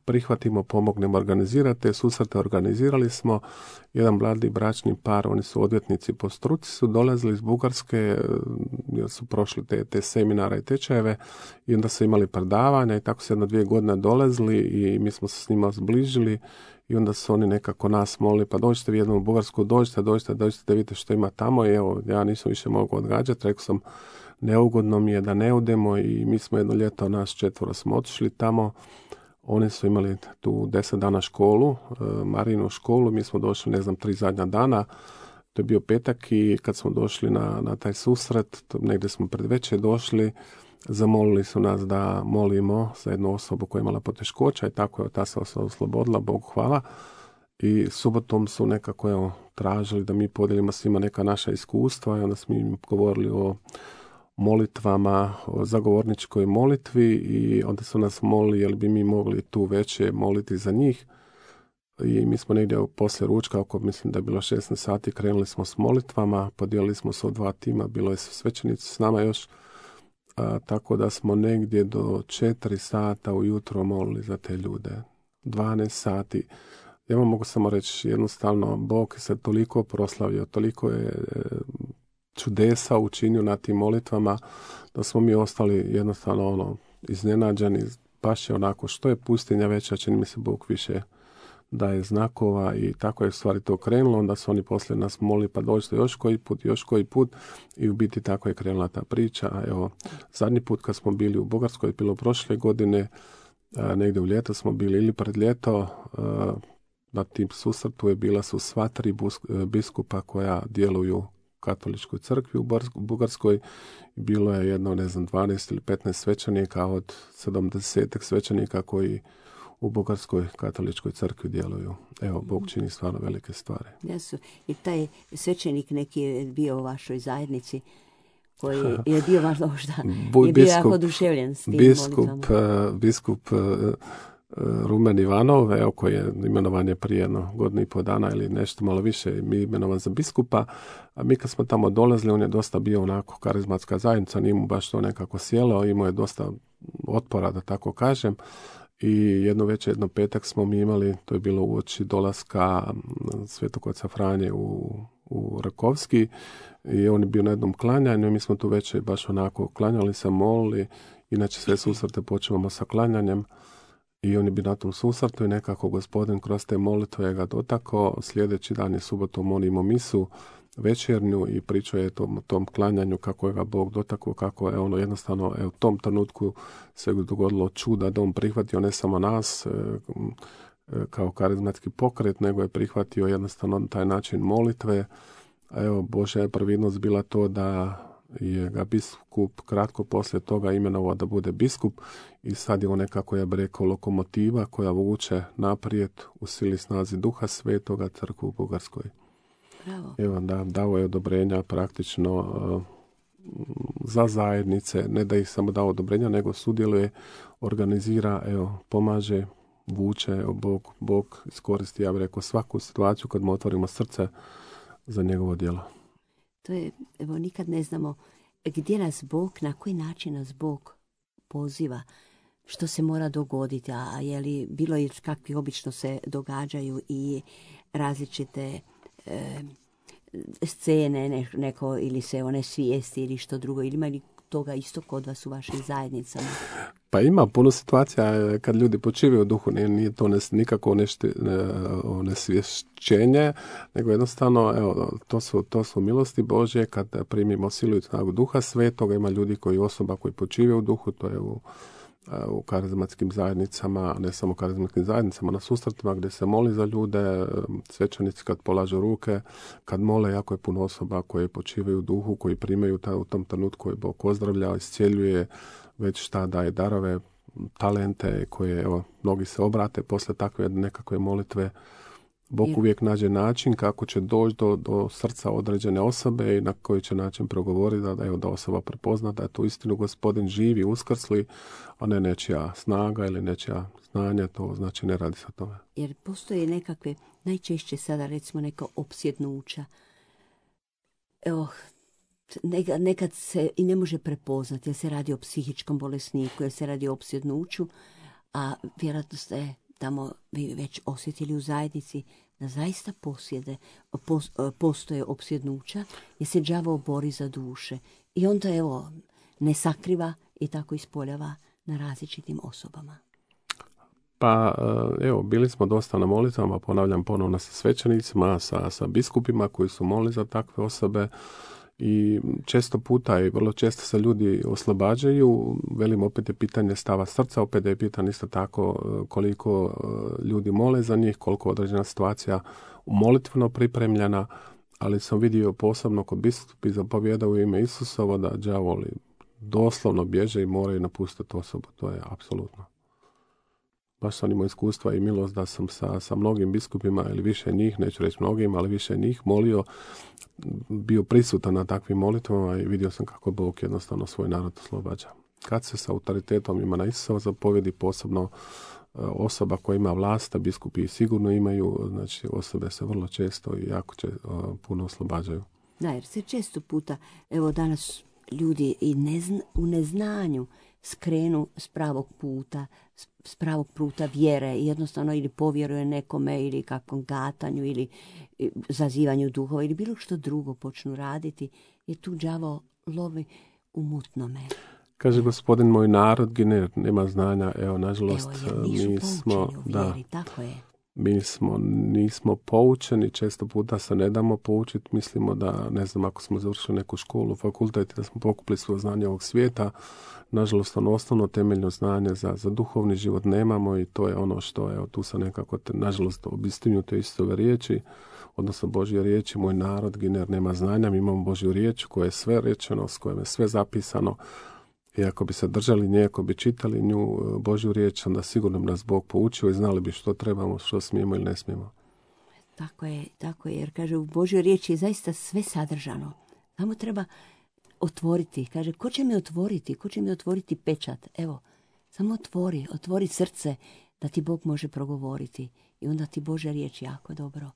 prihvatimo, pomognemo organizirati, te susrete organizirali smo, jedan mladi bračni par, oni su odvjetnici po struci, su dolazili iz Bugarske, jer su prošli te seminare i tečajeve i onda su imali predavanja i tako se 1-2 godine dolazili i mi smo se s njima zbližili. I onda su oni nekako nas molili, pa dođite vi jednom u Bugarsku, dođite da vidite što ima tamo. I evo, ja nisam više mogao odgađati, rekao sam, neugodno mi je da ne odemo i mi smo jedno ljeto, nas 4 smo otišli tamo. Oni su imali tu 10 dana školu, Marinu školu, mi smo došli, 3 zadnja dana. To je bio petak i kad smo došli na taj susret, negdje smo pred večer došli, zamolili su nas da molimo za jednu osobu koja je imala poteškoća i tako je ta se osoba oslobodila, Bogu hvala. I subotom su nekako tražili da mi podijelimo svima neka naša iskustva i onda smo im govorili o molitvama, o zagovorničkoj molitvi i onda su nas molili jel bi mi mogli tu veće moliti za njih. I mi smo negdje poslije ručka, oko mislim da je bilo 16 sati, krenuli smo s molitvama, podijelili smo se u 2 tima, bilo je svećenici s nama još. Tako da smo negdje do 4 sata ujutro molili za te ljude. 12 sati. Ja vam mogu samo reći jednostavno, Bog se toliko proslavio, toliko je čudesa učinio na tim molitvama, da smo mi ostali jednostavno iznenađeni. Baš je onako, što je pustinja veća, čini mi se Bog više daje znakova i tako je stvari to krenulo. Onda su oni poslije nas molili pa dođite još koji put i u biti tako je krenula ta priča. A evo, zadnji put kad smo bili u Bugarskoj, bilo prošle godine, negdje u ljeto smo bili ili pred ljeto, na tim susretu bila su sva 3 biskupa koja djeluju katoličkoj crkvi u Bugarskoj. Bilo je jedno, 12 ili 15 svećenika od 70 svećenika koji u Bugarskoj katoličkoj crkvi djeluju. Evo, Bog čini stvarno velike stvari.
Jesu. I taj svećenik neki je bio u vašoj zajednici koji je bio možda je bio jako oduševljen s tim molitvama.
Biskup Rumen Ivanov, evo, koji je imenovan je prije godinu i pol dana ili nešto malo više, mi imenovan za biskupa, a mi kad smo tamo dolazili, on je dosta bio onako karizmatska zajednica, nije mu baš to nekako sjelo, imao je dosta otpora, da tako kažem, i jedno večer, jedno petak smo mi imali, to je bilo uoči dolaska Svetog oca Franje u Rakovski, i on je bio na jednom klanjanju i mi smo tu večer baš onako klanjali se, molili, inače sve susrete počevamo sa klanjanjem. I on je bio na tom susretu i nekako Gospodin kroz te molitve ga dotakao. Sljedeći dan je subotom on imao misu večernju i pričao je o tom klanjanju kako je ga Bog dotakao, kako je ono jednostavno u tom trenutku se dogodilo čuda da on prihvatio ne samo nas kao karizmatski pokret, nego je prihvatio jednostavno taj način molitve. A evo, Božja je previdnost bila to da je ga biskup kratko poslije toga imenovao da bude biskup i sad je on nekako, ja bih rekao, lokomotiva koja vuče naprijed u sili snazi Duha Svetoga crkvu u Bugarskoj.
Bravo.
Evo, dao je odobrenja praktično za zajednice, ne da ih samo dao odobrenja, nego sudjeluje, organizira, pomaže, vuče, Bog iskoristi, ja bih rekao, svaku situaciju kad mu otvorimo srce za njegovo djelo.
To je, nikad ne znamo gdje nas Bog, na koji način nas Bog poziva, što se mora dogoditi, a je li bilo je kakvi obično se događaju i različite scene, neko ili se one svijesti ili što drugo, ili ima li toga isto kod vas u vašim zajednicama?
Pa ima puno situacija kad ljudi počivaju u duhu, nije to nikako onesvješćenje, nego jednostavno, to su milosti Božje kad primimo silu i snagu Duha Svetoga. Ima ljudi osoba koji počivaju u duhu, to je u karizmatskim zajednicama, ne samo karizmatskim zajednicama, na susretima gdje se moli za ljude, svećenici kad polažu ruke, kad mole, jako je puno osoba koje počivaju u duhu, koji primaju u tom trenutku koji Bog pozdravlja, iscijeljuje, već šta daje darove, talente koje, mnogi se obrate posle takve nekakve molitve. Bog uvijek nađe način kako će doći do srca određene osobe i na koji će način progovoriti da osoba prepozna da je to istinu Gospodin živi, uskrsli, a ne nečija snaga ili nečija znanja, to znači ne radi se o tome.
Jer postoje nekakve, najčešće sada recimo neka opsjednuća. Nekad se i ne može prepoznati jer se radi o psihičkom bolesniku, jer se radi o opsjednuću, a vjerojatno ste tamo vi već osjetili u zajednici da zaista postoje opsjednuća jer se đavo bori za duše i onda ne sakriva i tako ispoljava na različitim osobama.
Pa bili smo dosta na molitvama, ponavljam ponovno sa svećenicima, sa biskupima koji su molili za takve osobe. I često puta i vrlo često se ljudi oslobađaju, velim opet je pitanje stava srca, opet je pitanje isto tako koliko ljudi mole za njih, koliko određena situacija molitveno pripremljena, ali sam vidio posebno kod biskupi zapovjeda u ime Isusovo da đavoli doslovno bježe i moraju napustiti osobu, to je apsolutno. Baš sam imao iskustva i milost da sam sa mnogim biskupima ili više njih, neću reći mnogim, ali više njih molio, bio prisutan na takvim molitvama i vidio sam kako Bog jednostavno svoj narod oslobađa. Kad se sa autoritetom ima na Isusova zapovjedi, posebno osoba koja ima vlast, a biskupi sigurno imaju, znači osobe se vrlo često i jako puno oslobađaju.
Da, jer se često puta, danas ljudi i u neznanju skrenu s pravog puta, s pravog puta vjere, jednostavno ili povjeruje nekome ili kakvom gatanju ili zazivanju duhova ili bilo što drugo počnu raditi, jer tu đavo lovi u mutnome.
Kaže Gospodin, moj narod gine, nema znanja, nažalost, nismo poučeni, često puta se ne damo poučiti, mislimo da, ne znam, ako smo završili neku školu, fakultet, da smo pokupili svoje znanje ovog svijeta, nažalost, ono osnovno temeljno znanje za duhovni život nemamo i to je ono što je, tu sam nekako, nažalost, obistinju te istove riječi, odnosno Božje riječi, moj narod gine nema znanja, mi imamo Božju riječ koja je sve rečeno, s kojom je sve zapisano i ako bi se držali nje, ako bi čitali nju, Božju riječ, onda sigurno bi nas Bog poučio i znali bi što trebamo, što smijemo ili ne smijemo.
Tako je, jer kaže u Božjoj riječi je zaista sve sadržano. Samo treba otvoriti. Kaže, ko će mi otvoriti pečat? Evo, samo otvori srce da ti Bog može progovoriti. I onda ti Božja riječ jako dobro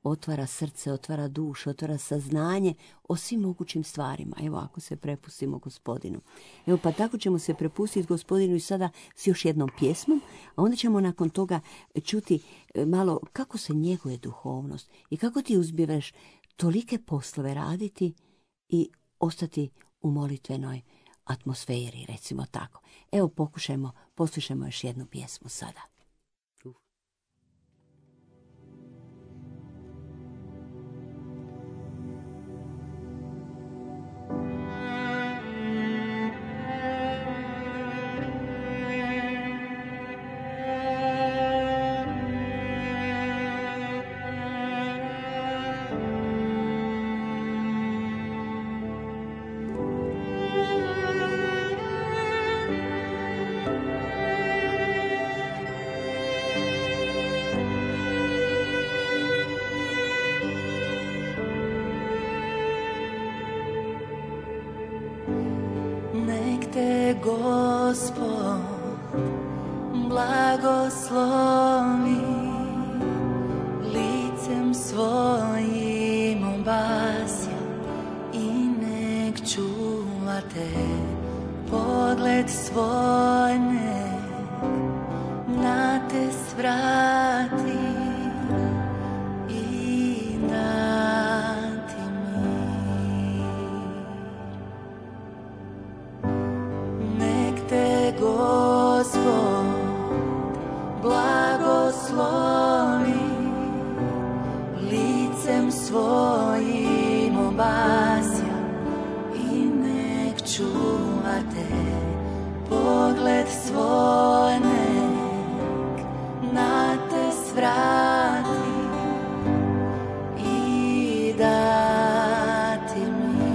otvara srce, otvara dušu, otvara saznanje o svim mogućim stvarima. Evo, ako se prepustimo Gospodinu. Evo, pa tako ćemo se prepustiti Gospodinu i sada s još jednom pjesmom, a onda ćemo nakon toga čuti malo kako se njeguje duhovnost i kako ti uspjevaš tolike poslove raditi i ostati u molitvenoj atmosferi, recimo tako. Evo, poslušajmo još jednu pjesmu sada.
Gospod blagoslovi, licem svojim obasja i nek čuva te, pogled svoj nek na te svrati i dati Gospod blagoslovi, licem svojim obasja i nek čuva te, pogled svoj nek na te svrati i dati mir.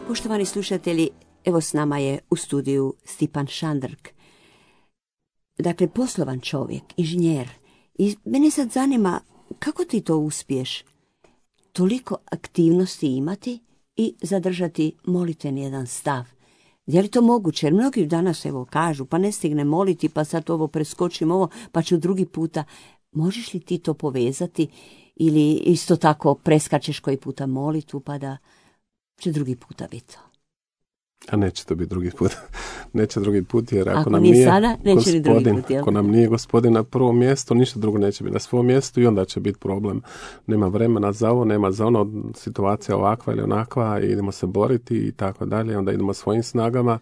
Poštovani slušatelji, evo s nama je u studiju Stipan Šandrk. Dakle, poslovan čovjek, inženjer. I mene sad zanima kako ti to uspiješ toliko aktivnosti imati i zadržati molitveni jedan stav. Je li to moguće? Jer mnogi danas evo kažu pa ne stigne moliti, pa sad ovo preskočim ovo, pa ću drugi puta. Možeš li ti to povezati ili isto tako preskačeš koji puta molitvu pa da će drugi puta biti to?
A neće to biti drugi put. Neće drugi put jer
ako nam nije sada, neće ni drugi put.
Ako nam nije Gospodin na prvom mjestu, ništa drugo neće biti na svom mjestu i onda će biti problem. Nema vremena za ovo, nema za ono, situacija ovakva ili onakva i idemo se boriti i tako dalje. Onda idemo svojim snagama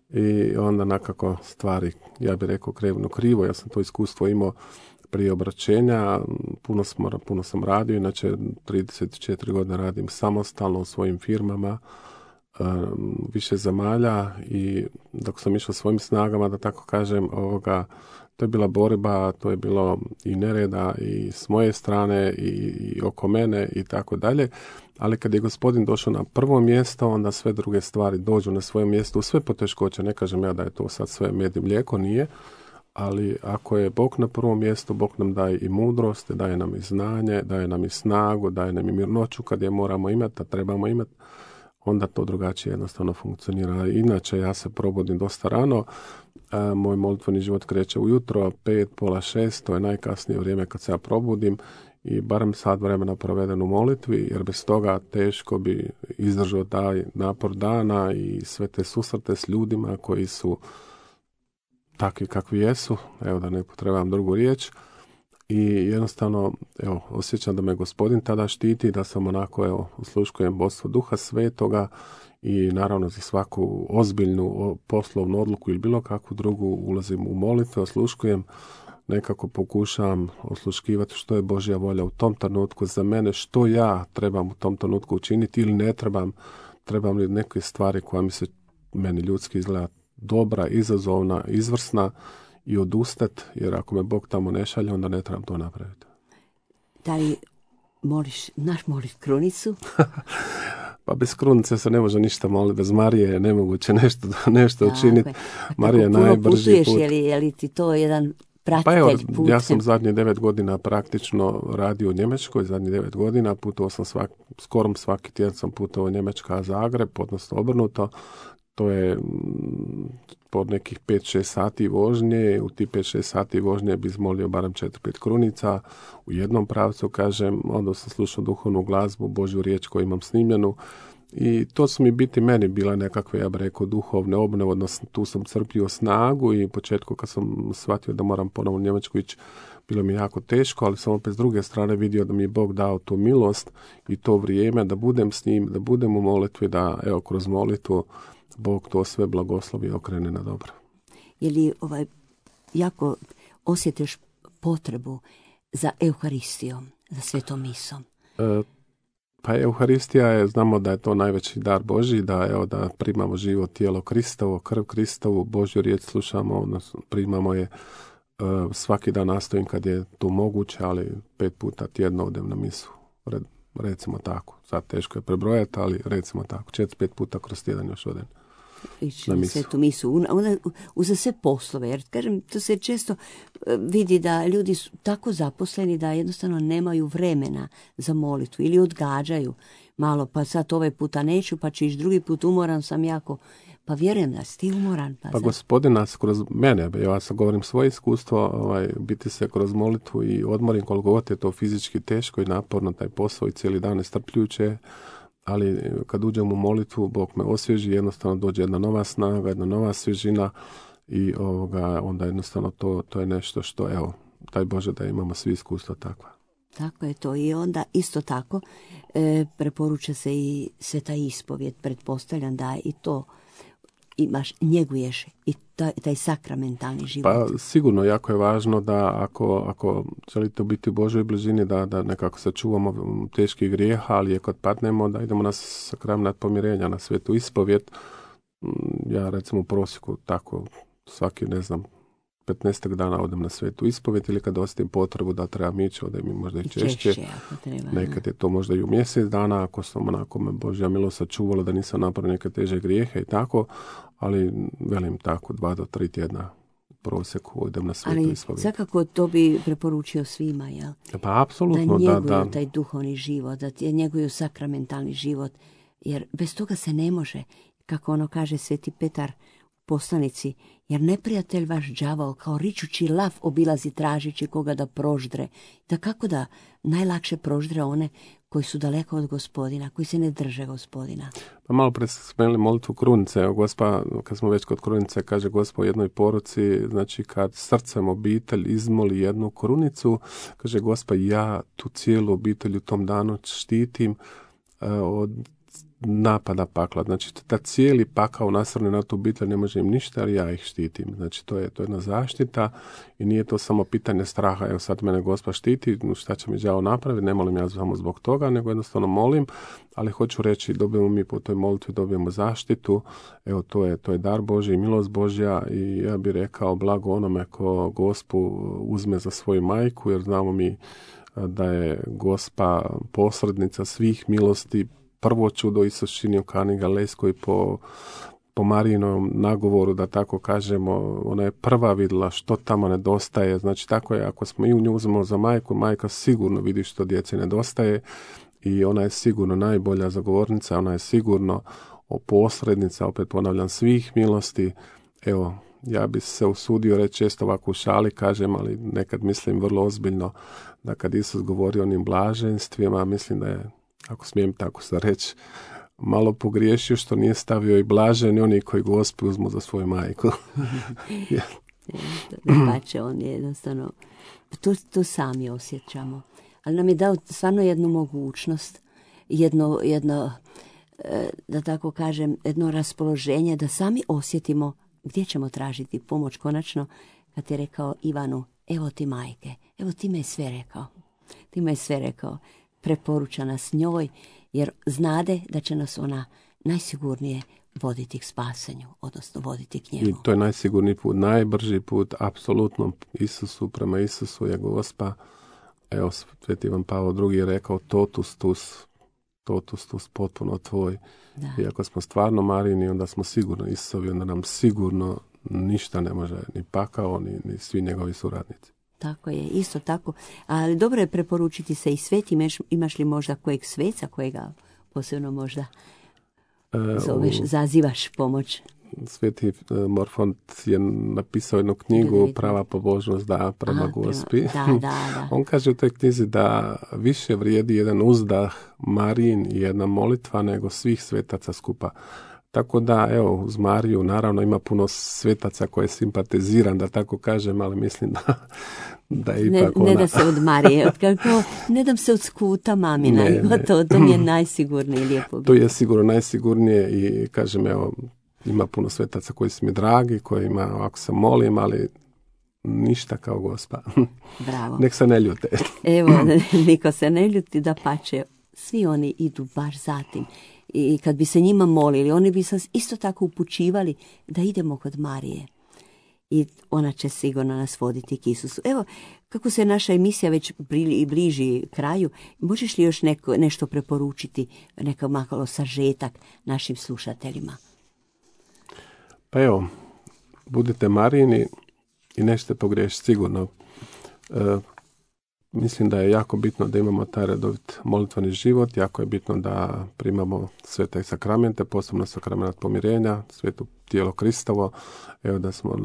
i onda nekako stvari, ja bih rekao, krenu krivo. Ja sam to iskustvo imao prije obraćenja, puno sam radio, inače 34 godine radim samostalno u svojim firmama, više zemalja i dok sam išao svojim snagama, da tako kažem, to je bila borba, to je bilo i nereda i s moje strane i oko mene i tako dalje, ali kad je Gospodin došao na prvo mjesto, onda sve druge stvari dođu na svoje mjesto, u sve poteškoće, ne kažem ja da je to sad sve med i mlijeko, nije, ali ako je Bog na prvom mjestu, Bog nam daje i mudrost, daje nam i znanje, daje nam i snagu, daje nam i mirnoću kad je moramo imati, a trebamo imati. onda to drugačije jednostavno funkcionira. Inače, ja se probudim dosta rano, moj molitveni život kreće ujutro, 5, pola 6, to je najkasnije vrijeme kad se ja probudim i barem sat vremena proveden u molitvi, jer bez toga teško bi izdržao taj napor dana i sve te susrete s ljudima koji su takvi kakvi jesu, evo da ne potrebam drugu riječ. I jednostavno, evo, osjećam da me Gospodin tada štiti, da sam onako, evo, osluškujem vodstvo Duha Svetoga i naravno za svaku ozbiljnu poslovnu odluku ili bilo kakvu drugu ulazim u molitve, osluškujem, nekako pokušavam osluškivati što je Božja volja u tom trenutku za mene, što ja trebam u tom trenutku učiniti ili ne trebam li neke stvari koja mi se meni ljudski izgleda dobra, izazovna, izvrsna i odustati, jer ako me Bog tamo ne šalje, onda ne trebam to napraviti.
Da li moliš krunicu?
Pa bez krunice se ne može ništa moliti, bez Marije je nemoguće nešto učiniti. Marija je najbrži put.
Je li ti to jedan pratitelj
pa evo,
putem?
Ja sam zadnje 9 godina praktično radio u Njemačkoj, zadnjih 9 godina, putovao sam skoro svaki tjedan sam putovao Njemačka, Zagreb, odnosno obrnuto. To je po nekih 5-6 sati vožnje. U ti 5-6 sati vožnje bi izmolio barem 4-5 krunica u jednom pravcu, kažem. Onda sam slušao duhovnu glazbu, Božju riječ koju imam snimljenu. I to su mi meni bila nekakve, ja bih rekao, duhovne obnove, odnosno tu sam crpio snagu i u početku kad sam shvatio da moram ponovno u Njemačku ići, bilo mi jako teško, ali sam opet s druge strane vidio da mi je Bog dao tu milost i to vrijeme da budem s njim, da budem u molitvi, da evo kroz molitvu Bog to sve blagoslovi i okrene na dobro.
Je li jako osjetiš potrebu za Euharistijom, za svetom misom?
Pa Euharistija je, znamo da je to najveći dar Božji, da primamo živo tijelo Kristovo, krv Kristovu, Božju riječ slušamo, odnosno primamo je svaki dan, nastojim kad je to moguće, ali 5 puta tjedno odem na misu. Recimo tako. Sad teško je prebrojati, ali recimo tako. 4-5 puta kroz tjedan još odem.
Ići na svetu misu. Uza sve poslove. Jer, kažem, to se često vidi da ljudi su tako zaposleni da jednostavno nemaju vremena za molitvu ili odgađaju malo, pa sad ovaj puta neću, pa ću ići drugi put, umoran sam jako. Pa vjerujem da si ti umoran.
Pa Gospodin nas kroz mene, ja sad govorim svoje iskustvo, biti se kroz molitvu i odmorim koliko god je to fizički teško i naporno taj posao i cijeli dan nestrpljujuće, ali kad uđem u molitvu, Bog me osvježi, jednostavno dođe jedna nova snaga, jedna nova svježina i onda jednostavno to je nešto što, evo, taj Bože da imamo svi iskustva takva.
Tako je to. I onda isto tako preporuča se i sveta ispovijed, pretpostavljam da i to njeguješ i taj sakramentalni život. Pa
sigurno jako je važno da ako želite biti u Božoj blizini da nekako sačuvamo teških grijeha, ali kad padnemo da idemo na sakrament pomirenja, na svetu ispovijed. Ja recimo u prosjeku tako svaki 15 dana odem na svetu ispovijed ili kad osjetim potrebu da trebam ići, odem i možda i češće. Nekad je to možda i u mjesec dana, ako sam onako me Božja milost sačuvala da nisam napravio neke teže grijehe i tako, ali velim tako 2 do 3 tjedna u prosjeku odem na svetu ispovijed.
Ali svakako to bi preporučio svima, jel?
Pa apsolutno,
da njeguju taj duhovni život, da njeguju sakramentalni život, jer bez toga se ne može, kako ono kaže Sveti Petar poslanici, jer neprijatelj vaš đavao kao ričući lav obilazi tražići koga da proždre. Da kako da najlakše proždre one koji su daleko od Gospodina, koji se ne drže Gospodina.
Pa malo pre spomenuli molitvu krunice. Evo, Gospa, kad smo već kod krunice, kaže Gospa u jednoj poruci, znači kad srcem obitelj izmoli jednu krunicu, kaže Gospa, ja tu cijelu obitelj u tom danu štitim od napada pakla. Znači, ta cijeli pakao nasrne na tu obitelj ne može im ništa, ali ja ih štitim. Znači, to je jedna zaštita i nije to samo pitanje straha. Evo sad mene Gospa štiti, šta će mi đavo napraviti, ne molim ja samo zbog toga, nego jednostavno molim, ali hoću reći, dobijemo mi po toj molitvi, dobijemo zaštitu. Evo, to je dar Božji, milost Božja i ja bih rekao blago onome ko Gospu uzme za svoju majku, jer znamo mi da je Gospa posrednica svih milosti. Prvo čudo Isus činio u Kani Galilejskoj po Marijinom nagovoru, da tako kažemo, ona je prva vidjela što tamo nedostaje. Znači tako je, ako smo i u nju uzmemo za majku, majka sigurno vidi što djeci nedostaje i ona je sigurno najbolja zagovornica, ona je sigurno posrednica, opet ponavljam, svih milosti. Evo, ja bi se usudio reći često ovako u šali kažem, ali nekad mislim vrlo ozbiljno, da kad Isus govori o onim blaženstvima, mislim da je, ako smijem tako se reći, malo pogriješio što nije stavio i blaženi oni koji Gospu uzmu za svoju majku.
Pače, on je jednostavno, to sami osjećamo. Ali nam je dao stvarno jednu mogućnost, jedno, da tako kažem, jedno raspoloženje da sami osjetimo gdje ćemo tražiti pomoć konačno, kad je rekao Ivanu, evo ti majke, evo ti me je sve rekao. Preporuča nas njoj, jer znade da će nas ona najsigurnije voditi k spasenju, odnosno voditi k njemu.
I to je najsigurniji put, najbrži put, apsolutno Isusu, prema Isusu je Gospa. Evo, Sveti Ivan Pavao II je rekao totus tus, potpuno tvoj.
Da.
I ako smo stvarno Marini, onda smo sigurno Isusovi, onda nam sigurno ništa ne može, ni pakao, ni svi njegovi suradnici.
Tako je, isto tako. Ali dobro je preporučiti se i svetim. Imaš li možda kojeg sveca, kojega posebno možda zoveš, zazivaš pomoć?
Sveti Morfont je napisao jednu knjigu Prava pobožnost prema Gospi.
Da.
On kaže u toj knjizi da više vrijedi jedan uzdah Marijin i jedna molitva nego svih svetaca skupa. Tako da, evo, uz Mariju naravno ima puno svetaca koje simpatiziram, da tako kažem, ali mislim da je ipak ona...
Ne da se od Marije, ne dam se od skuta mamina, to mi je najsigurnije lijepo.
To je sigurno najsigurnije i kažem, evo, ima puno svetaca koji su mi dragi, kojima ovako se molim, ali ništa kao Gospa.
Bravo.
Nek se ne ljute.
Evo, niko se ne ljuti, da pače, svi oni idu baš za tim. I kad bi se njima molili, oni bi se isto tako upućivali da idemo kod Marije. I ona će sigurno nas voditi k Isusu. Evo, kako se naša emisija već bliži kraju, možeš li još nešto preporučiti, neko malo sažetak našim slušateljima?
Pa evo, budite Marijini i nećete pogriješiti sigurno. Mislim da je jako bitno da imamo taj redovit molitveni život, jako je bitno da primamo svete sakramente, posebno sakrament pomirenja, sveto tijelo Kristovo, evo da smo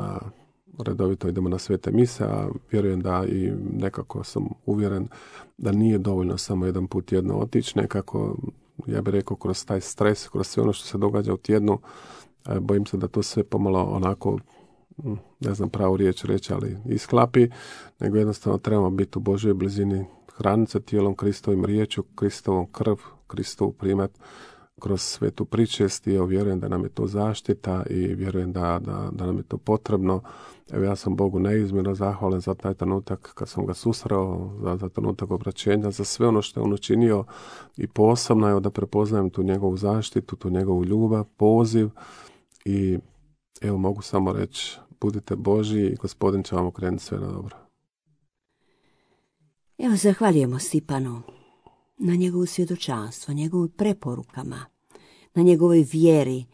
redovito idemo na svete mise, a vjerujem da i nekako sam uvjeren da nije dovoljno samo jedan put tjedno otići, nekako, ja bih rekao, kroz taj stres, kroz sve ono što se događa u tjednu, bojim se da to sve pomalo onako, ne znam pravu riječ reći, ali isklapi, nego jednostavno trebamo biti u Božoj blizini, hraniti se tijelom Kristovim, riječju Kristovom, krv Kristovu primat kroz svetu pričest i vjerujem da nam je to zaštita i vjerujem da nam je to potrebno. Evo, ja sam Bogu neizmjerno zahvalan za taj trenutak kad sam ga susreo, za trenutak obraćenja, za sve ono što je on učinio i posebno je da prepoznajem tu njegovu zaštitu, tu njegovu ljubav, poziv i evo mogu samo reći, budite Božji i Gospodin će vam okrenuti sve na dobro.
Evo, zahvaljujemo Stipanu na njegovu svjedočanstvo, njegovim preporukama, na njegovoj vjeri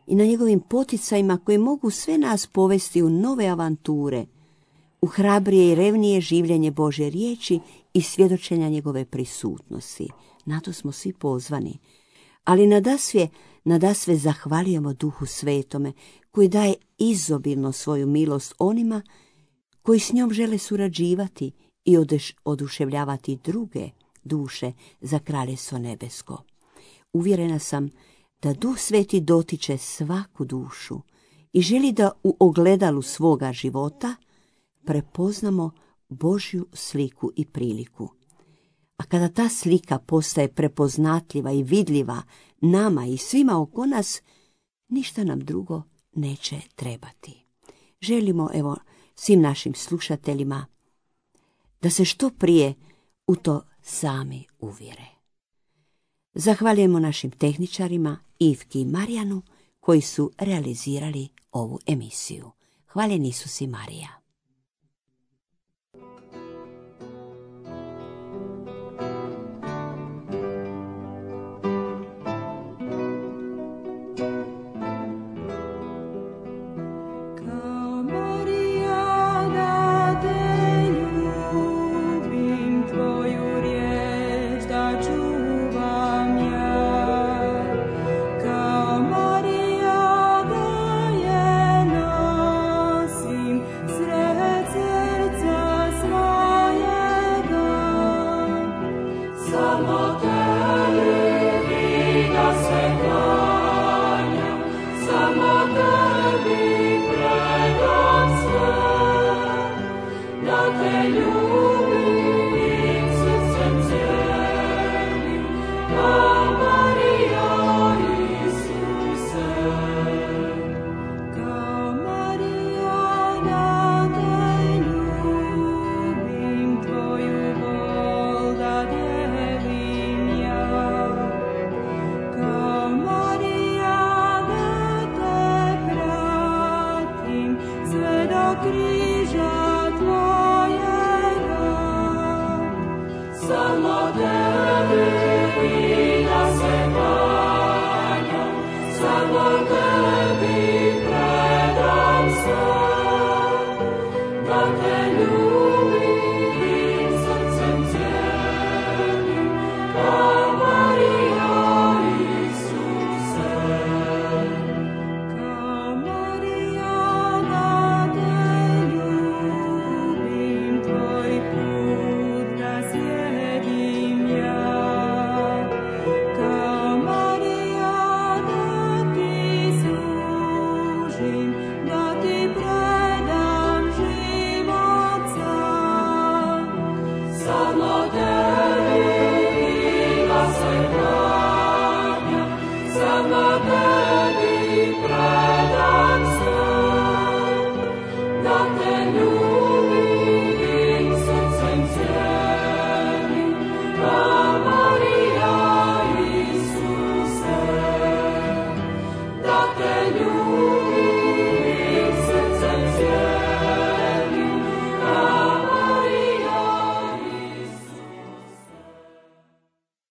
i na njegovim poticajima koji mogu sve nas povesti u nove avanture, u hrabrije i revnije življenje Božje riječi i svjedočenja njegove prisutnosti. Na to smo svi pozvani. Ali nadasve zahvaljujemo Duhu Svetome koji daje izobilno svoju milost onima koji s njom žele surađivati i oduševljavati druge duše za Kraljevstvo nebesko. Uvjerena sam da Duh Sveti dotiče svaku dušu i želi da u ogledalu svoga života prepoznamo Božju sliku i priliku. A kada ta slika postaje prepoznatljiva i vidljiva nama i svima oko nas, ništa nam drugo neće trebati. Želimo, evo, svim našim slušateljima da se što prije u to sami uvjere. Zahvaljujemo našim tehničarima Ivki i Marijanu koji su realizirali ovu emisiju. Hvaljen Isus i Marija.
Tvoju riječ da čuvam. grijeh